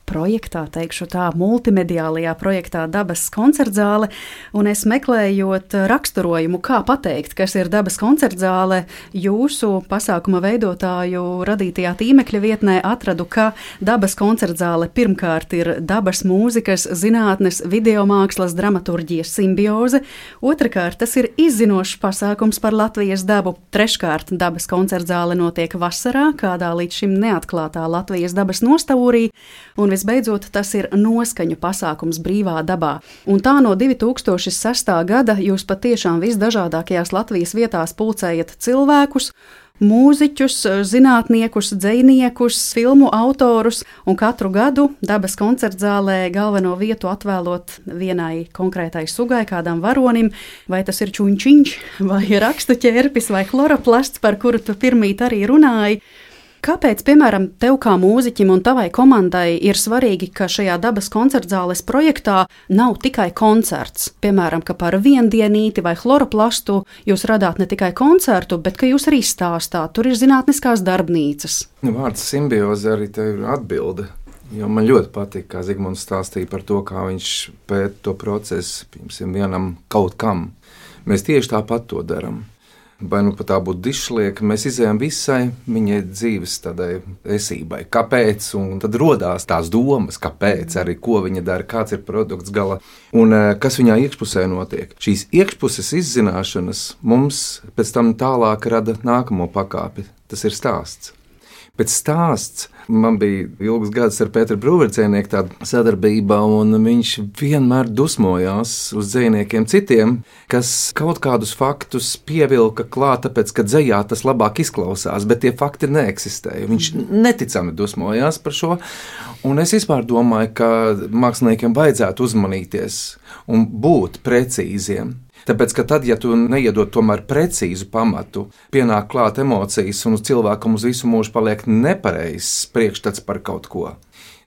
projektā, teikšu tā, multimediālajā projektā Dabas koncertzāle, un es meklējot raksturojumu, kā pateikt, kas ir Dabas koncertzāle, jūsu pasākuma veidotāju radītajā tīmekļa vietnē atradu, ka Dabas koncertzāle pirmkārt ir dabas mūzikas, zinātnes, videomākslas, dramaturģijas simbioze, otrkārt tas ir izzinošs pasākums par Latvijas dabu, treškārt Dabas koncertzāle notiek vasarā, kādā līdz šim neatklātā Latvijas dabas nostūrī, un visbeidzot, tas ir noskaņu pasākums brīvā dabā. Un tā no 2006. gada jūs patiešām visdažādākajās Latvijas vietās pulcējat cilvēkus, mūziķus, zinātniekus, dzejniekus, filmu autorus, un katru gadu Dabas koncertzālē galveno vietu atvēlot vienai konkrētai sugai, kādam varonim, vai tas ir čuņčiņš, vai rakstu ķērpis, vai chloroplasts, par kuru tu pirmīt arī runāji. Kāpēc, piemēram, tev kā mūziķim un tavai komandai ir svarīgi, ka šajā Dabas koncertzāles projektā nav tikai koncerts? Piemēram, ka par viendienīti vai chloroplastu jūs radāt ne tikai koncertu, bet ka jūs arī stāstāt, tur ir zinātniskās darbnīcas. Vārds simbioze arī te ir atbilde. Jo man ļoti patīk, kā Zigmunds stāstīja par to, kā viņš pēta to procesu, piemēram, vienam kaut kam. Mēs tieši tāpat to darām. Vai nu pat tā būtu dišlieka, mēs izējām visai viņai dzīves tādai esībai. Kāpēc? Un tad rodās tās domas, kāpēc, arī ko viņa dara, kāds ir produkts gala un kas viņā iekšpusē notiek. Šīs iekšpuses izzināšanas mums pēc tam tālāk rada nākamo pakāpi. Tas ir stāsts. Pēc stāsts man bija ilgus gadus ar Pēteru Brūverdzejnieku tāda sadarbība, un viņš vienmēr dusmojās uz dzejniekiem citiem, kas kaut kādus faktus pievilka klāt, tāpēc, ka dzejā tas labāk izklausās, bet tie fakti neeksistēja. Viņš neticami dusmojās par šo, un es vispār domāju, ka māksliniekiem vajadzētu uzmanīties un būt precīziem. Tāpēc, ka tad, ja tu neiedod tomēr precīzu pamatu, pienāk klāt emocijas un uz cilvēkam uz visu mūžu paliek nepareizs priekšstats par kaut ko.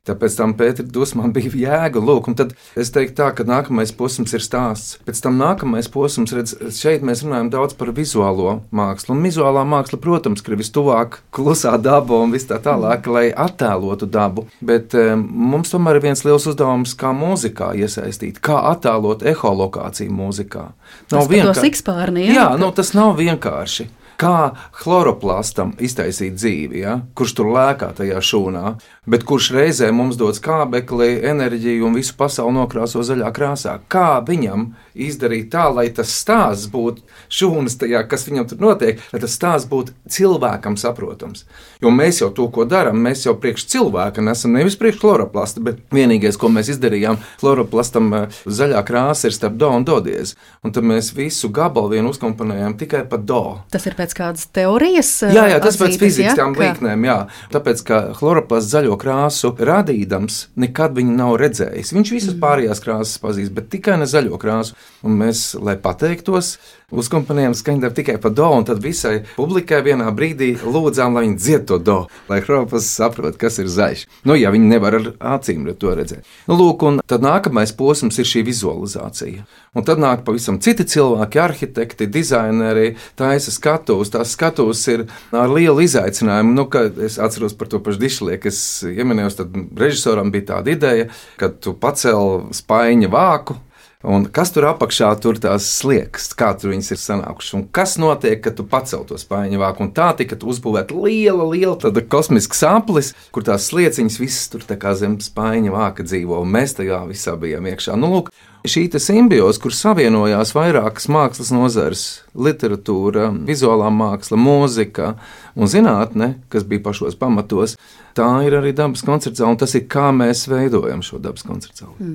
Tāpēc tam Pētera dusmām bija jēga, lūk, un tad es teiktu tā, ka nākamais posms ir stāsts. Pēc tam nākamais posms, redz, šeit mēs runājam daudz par vizuālo mākslu, un vizuālā māksla, protams, ir vistuvāk klusā daba un vis tā tālāk, lai attēlotu dabu, bet mums tomēr ir viens liels uzdevums, kā mūzikā iesaistīt, kā attēlot eholokāciju mūzikā. Tas par to sikspārni, jā? Jā, tas nav vienkārši. Kā chloroplastam iztaisīt dzīvi, ja? Kurš tur lēkā tajā šūnā. bet kurš reizē mums dod skābekli, enerģiju un visu pasauli nokrāso zaļā krāsā. Kā viņam izdarīt tā, lai tas stāsts būtu šūnas tajā, kas viņam tur notiek, lai tas stāsts būtu cilvēkam saprotams. Jo mēs jau to, ko darām, mēs jau priekš cilvēka nesam, nevis priekš chloroplasta, bet vienīgais, ko mēs izdarījām, chloroplastam zaļā krāsa ir starp do un do diezi. Un tad mēs visu gabalu vienu uzkomponējām tikai pa do. Tas ir pēc kādas teorijas? Jā, tas pēc fizikas tām līknēm, jā. Tāpēc, ka chloroplasts zaļo krāsu radīdams, nekad viņu nav redzējis. Viņš visas pārējās krāsas pazīst, bet tikai ne zaļo krāsu. Un mēs, lai pateiktos, uzkomponējām skaņdarbu tikai pa do, un tad visai publikai vienā brīdī lūdzām, lai viņi dzied to do, lai chloroplasts saprot, kas ir zaļš. Ja viņi nevar ar acīm to redzēt. Lūk, un tad nākamais posms ir šī vizualizācija. Un tad nāk pavisam citi cilvēki, arhitekti, dizaineri, taisa skatuves. Tās skatuves ir ar lielu izaicinājumu. Es atceros par to pašu Dišlieku, es ieminējos, tad režisoram bija tāda ideja, ka tu pacēl spaiņa vāku, un kas tur apakšā tur tās sliekas, kā tur viņas ir sanākušas, un kas notiek, kad tu pacel to spaiņu vāku, un tā tika uzbūvēta liela tāda kosmiska saplis, kur tās slieciņas visas tur tā kā zem spaiņa vāka dzīvo, un mēs tajā visā bijām iekšā. Lūk, šī simbioze, kur savienojās vairākas mākslas nozares, literatūra, vizuālā māksla, mūzika un zinātne, kas bija pašos pamatos, tā ir arī dabas koncertzāle, un tas ir, kā mēs veidojam šo dabas koncertzāli.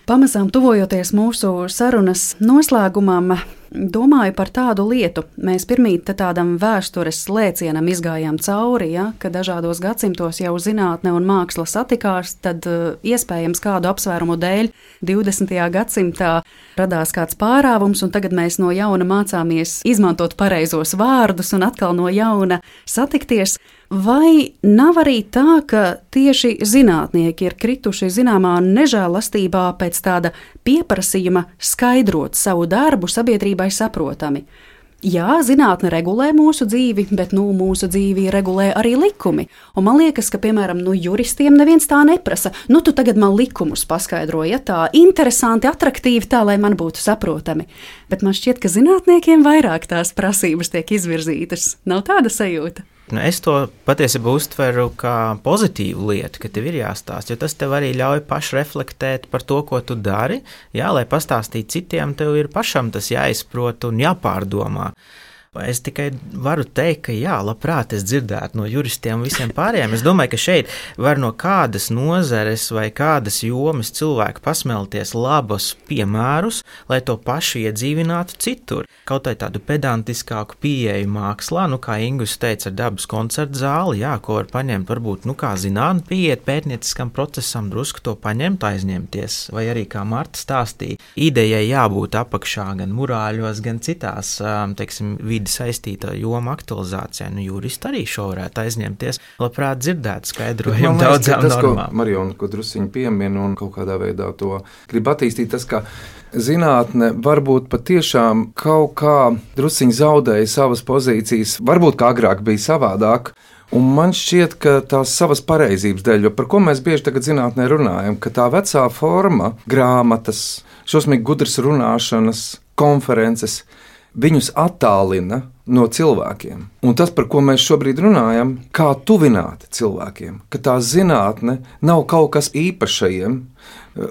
Pamazām tuvojoties mūsu sarunas noslēgumam, domāju par tādu lietu. Mēs pirmīt tādam vēstures lēcienam izgājām cauri, ka dažādos gadsimtos jau zinātne un māksla satikās, tad iespējams kādu apsvērumu dēļ 20. gadsimtā radās kāds pārāvums, un tagad mēs no jauna mācāmies izmantot pareizos vārdus un atkal no jauna satikties. Vai nav arī tā, ka tieši zinātnieki ir krituši zināmā nežēlastībā pēc tāda pieprasījuma skaidrot savu darbu sabiedrībai saprotami? Jā, zinātne regulē mūsu dzīvi, bet mūsu dzīvi regulē arī likumi. Un man liekas, ka, piemēram, juristiem neviens tā neprasa. Tu tagad man likumus paskaidroji, tā interesanti, atraktīvi, tā, lai man būtu saprotami. Bet man šķiet, ka zinātniekiem vairāk tās prasības tiek izvirzītas. Nav tāda sajūta? Es to patiesībā uztveru kā pozitīvu lietu, ka tev ir jāstāsta, jo tas tev arī ļauj pašreflektēt par to, ko tu dari. Jā, lai pastāstītu citiem, tev ir pašam tas jāizprot un jāpārdomā. Es tikai varu teikt, ka jā, labprāt es dzirdētu no juristiem un visiem pārējiem. Es domāju, ka šeit var no kādas nozares vai kādas jomas cilvēki pasmelties labus piemērus, lai to pašu iedzīvinātu citur. Kaut vai tādu pedantiskāku pieeju mākslā, kā Ingus teica ar dabas koncertu zāli, jā, ko var paņemt, varbūt, kā zinātne pieiet pētnieciskam procesam, drusku to paņemt, aizņemties, vai arī, kā Marta stāstīja, idejai jābūt apakšā gan murāļos, gan citās, vidi saistīta joma aktualizācijā. Juristi arī šo varētu aizņemties. Labprāt dzirdētu skaidrojumu daudzām normām. Mariona, ko drusciņi piemin un kaut kādā veidā to grib attīstīt, tas, ka zinātne varbūt patiešām kaut kā drusciņi zaudēja savas pozīcijas, varbūt kā agrāk bija savādāk. Un man šķiet, ka tās savas pareizības dēļ, jo par ko mēs bieži tagad zinātnē runājam, ka tā vecā forma, grāmatas, šausmīgi gudras runāšanas, konferences, viņus attālina no cilvēkiem. Un tas, par ko mēs šobrīd runājam, kā tuvināt cilvēkiem, ka tā zinātne nav kaut kas īpašajiem,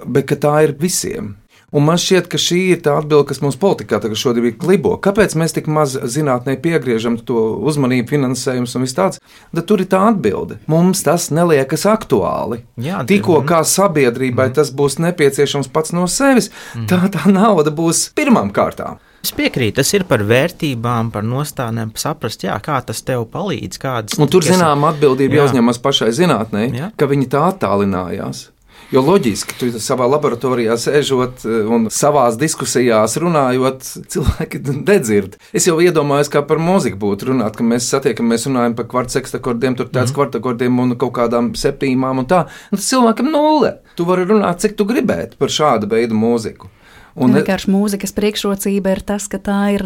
bet ka tā ir visiem. Un man šķiet, ka šī ir tā atbilde, kas mums politikā tagad šodien ir klibo. Kāpēc mēs tik maz zinātnē piegriežam to uzmanību, finansējumus un viss tāds? Tad tur ir tā atbilde. Mums tas neliekas aktuāli. Jā, tikko kā sabiedrībai tas būs nepieciešams pats no sevis, tā nauda būs pirmām kārtām. Es piekrītu, tas ir par vērtībām, par nostādnēm, saprast, kā tas tev palīdz. Un tur zināma atbildība jāuzņemas pašai zinātnei, ka viņi tā attālinājās. Jo loģiski, tu savā laboratorijā sēžot un savās diskusijās runājot, cilvēki nedzird. Es jau iedomājos, kā par mūziku būtu runāt, ka mēs satiekamies, runājam par kvartsekstakordiem, tur tāds kvartakordiem un kaut kādām septīmām un tā. Un tas cilvēkam nulle. Tu vari runāt, cik tu gribētu par šādu veidu mūziku. Vienkārši mūzikas priekšrocība ir tas, ka tā ir,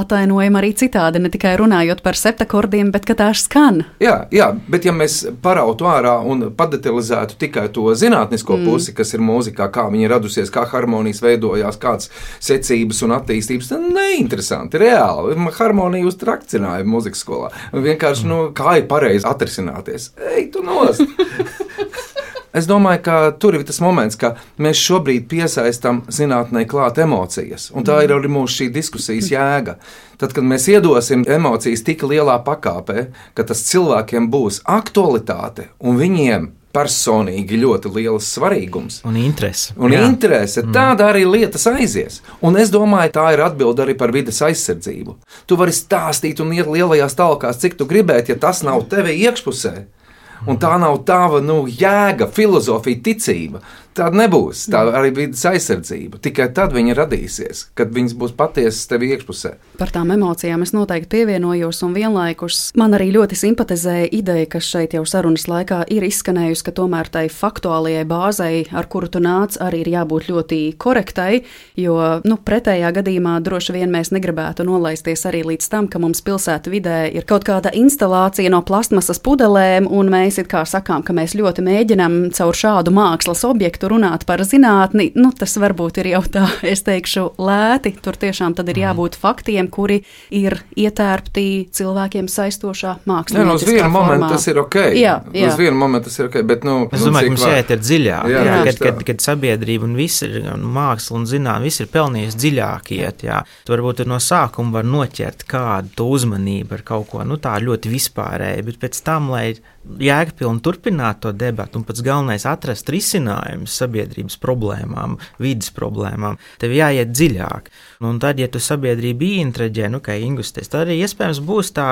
atainojama arī citādi, ne tikai runājot par septakordiem, bet ka tā skan. Jā, bet ja mēs parautu ārā un padetalizētu tikai to zinātnisko pusi, kas ir mūzikā, kā viņa radusies, kā harmonijas veidojās, kādas secības un attīstības, tad neinteresanti, reāli. Harmonija uz trakcināja mūzikas skolā. Vienkārši, kā ir pareizi atrisināties. Ej, tu nost! Es domāju, ka tur ir tas moments, ka mēs šobrīd piesaistam zinātnē klāt emocijas, un tā ir arī mūsu šī diskusijas jēga. Tad, kad mēs iedosim emocijas tik lielā pakāpē, ka tas cilvēkiem būs aktualitāte un viņiem personīgi ļoti liels svarīgums. Un interese. Tāda arī lietas aizies. Un es domāju, tā ir atbilde arī par vides aizsardzību. Tu vari stāstīt un iet lielajās talkās, cik tu gribētu, ja tas nav tevi iekšpusē. Un tā nav tava jēga, filozofija, ticība. Tāda nebūs. Tā arī vidas aizsardzība. Tikai tad viņa radīsies, kad viņas būs patiesas tev iekšpusē. Par tām emocijām es noteikti pievienojos, un vienlaikus man arī ļoti simpatizēja ideja, kas šeit jau sarunas laikā ir izskanējusi, ka tomēr tai faktuālajai bāzei, ar kuru tu nāc, arī ir jābūt ļoti korektai, jo pretējā gadījumā droši vien mēs negribētu nolaisties arī līdz tam, ka mums pilsētu vidē ir kaut kāda instalācija no plastmasas pudelēm, un mēs it kā sakām, ka mēs ļoti mēģinam caur šādu mākslas objektu runāt par zinātni, tas varbūt ir jau tā, es teikšu, lēti. Tur tiešām tad ir jābūt faktiem, kuri ir ietērpti cilvēkiem saistošā mākslinieciskā uz vienu formā. Momentu tas ir ok. Jā. Uz vienu momentu tas ir ok, bet es domāju, ka mums jāiet ir dziļāk. Kad sabiedrība un viss ir māksla un zinātne, viss ir pelnījusi dziļāk iet, jā. Tu varbūt no sākuma var noķert kādu to uzmanību ar kaut ko, tā ļoti vispārēji, bet pēc tam, lai jēgpilni turpināt to debatu un pats galvenais atrast risinājumus sabiedrības problēmām, vidas problēmām, tev jāiet dziļāk. Un tad, ja tu sabiedrību ieinteresē, kā ingusties, tad arī iespējams būs tā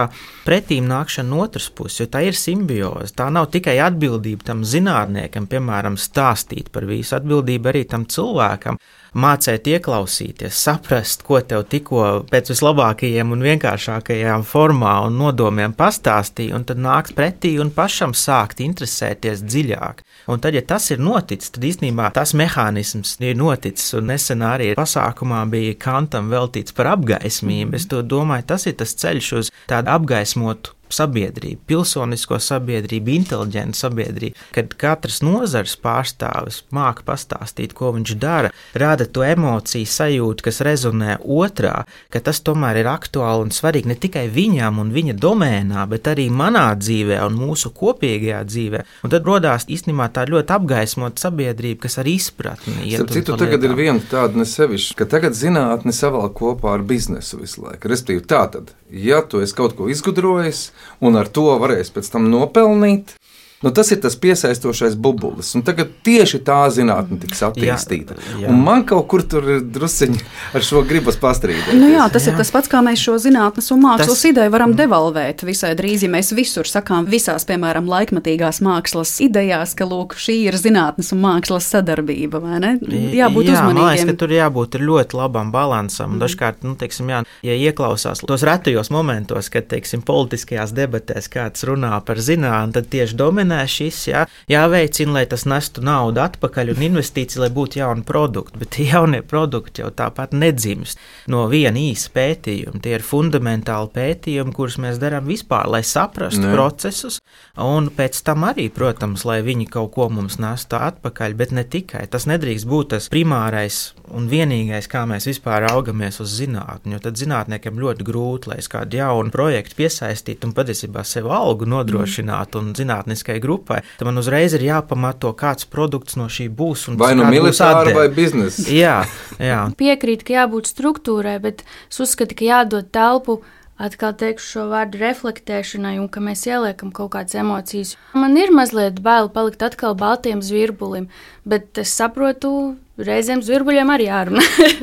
pretīm nākšana no otras puses, jo tā ir simbioze. Tā nav tikai atbildība tam zinātniekam, piemēram, stāstīt par visu, atbildība arī tam cilvēkam, mācēt ieklausīties, saprast, ko tev tikko pēc vislabākajiem un vienkāršākajām formā un nodomiem pastāstīja, un tad nākt pretī un pašam sākt interesēties dziļāk. Un tad, ja tas ir noticis, tad īstenībā tas mehānisms ir noticis, un nesen arī pasākumā bija Kantam veltīts par apgaismību. Es to domāju, tas ir tas ceļš uz tādu apgaismotu sabiedrību, pilsonisko sabiedrību, inteliģentu sabiedrību, kad katrs nozars pārstāvis māca pastāstīt, ko viņš dara, rada to emociju sajūtu, kas rezonē otrā, ka tas tomēr ir aktuāli un svarīgi ne tikai viņam un viņa domēnā, bet arī manā dzīvē un mūsu kopīgajā dzīvē. Un tad rodās īstenībā tā ļoti apgaismota sabiedrība, kas ar izpratni iet. Citu tagad ir viena tāda nesevišķa, ka tagad zinātne savalk kopā ar biznesu visu laiku. Respektīvi tātad, ja tu esi kaut ko izgudrojis, un ar to varēs pēc tam nopelnīt. Tas ir tas piesaistošais bubulis, un tagad tieši tā zinātne tiks attīstīta. Jā. Un man kaut kur tur ir drusciņi ar šo gribas pastrīdēt. Tas ir tas pats, kā mēs šo zinātnes un mākslas ideju varam devalvēt visai drīz, ja mēs visur sakām visās, piemēram, laikmatīgās mākslas idejās, ka, lūk, šī ir zinātnes un mākslas sadarbība, vai ne? Jābūt uzmanīgiem. Man liekas, ka tur jābūt ļoti labam balansam. Dažkārt, ja ieklausās tos retajos momentos, kad, politiskajās debatēs kāds runā par zinātni, tad tieši dominē šis, jāveicina, lai tas nestu naudu atpakaļ un investīciju, lai būtu jauni produkti, bet jaunie produkti jau tāpat nedzimst no viena īsa pētījuma. Tie ir fundamentāli pētījumi, kurus mēs darām vispār, lai saprastu procesus, un pēc tam arī, protams, lai viņi kaut ko mums nestu atpakaļ, bet ne tikai. Tas nedrīkst būt tas primārais un vienīgais, kā mēs vispār augamies uz zinātni, jo tad zinātniekiem ļoti grūti, lai es kādu jaunu projektu piesaistītu un patiesībā sev algu nodrošinātu un zinātniskai grupai, tad man uzreiz ir jāpamato, kāds produkts no šī būs. Vai no militāra vai biznesa. Jā. Piekrīt, ka jābūt struktūrai, bet es uzskatu, ka jādod telpu, atkal teikšu šo vārdu reflektēšanai, un ka mēs ieliekam kaut kādas emocijas. Man ir mazliet bail palikt atkal baltiem zvirbulim, bet es saprotu, reizēm zvirbuļiem arī jārunā.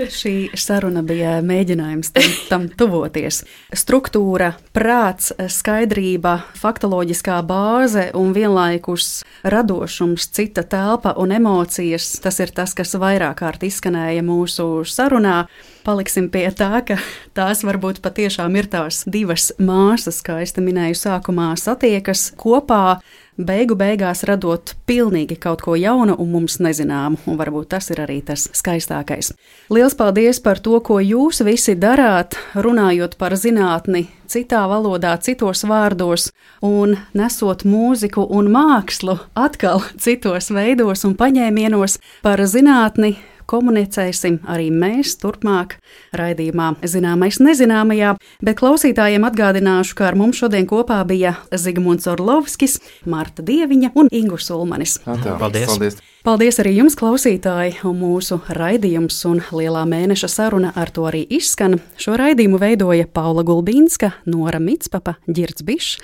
Šī saruna bija mēģinājums tam tuvoties. Struktūra, prāts, skaidrība, faktoloģiskā bāze un vienlaikus radošums, cita telpa un emocijas. Tas ir tas, kas vairāk kārt izskanēja mūsu sarunā. Paliksim pie tā, ka tās varbūt patiešām ir tās divas māsas, kā es te minēju sākumā, satiekas kopā. beigās radot pilnīgi kaut ko jaunu un mums nezināmu, un varbūt tas ir arī tas skaistākais. Liels paldies par to, ko jūs visi darāt, runājot par zinātni citā valodā, citos vārdos, un nesot mūziku un mākslu atkal citos veidos un paņēmienos par zinātni. Komunicēsim arī mēs turpmāk raidījumā Zināmais nezināmajā, bet klausītājiem atgādināšu, ka ar mums šodien kopā bija Zigmunds Orlovskis, Marta Dieviņa un Ingus Ulmanis. Paldies! Paldies arī jums, klausītāji, un mūsu raidījums un lielā mēneša saruna ar to arī izskan. Šo raidījumu veidoja Paula Gulbīnska, Nora Mitspapa, Ģirds Bišs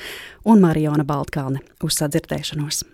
un Mariona Baltkalne. Uz sadzirdēšanos!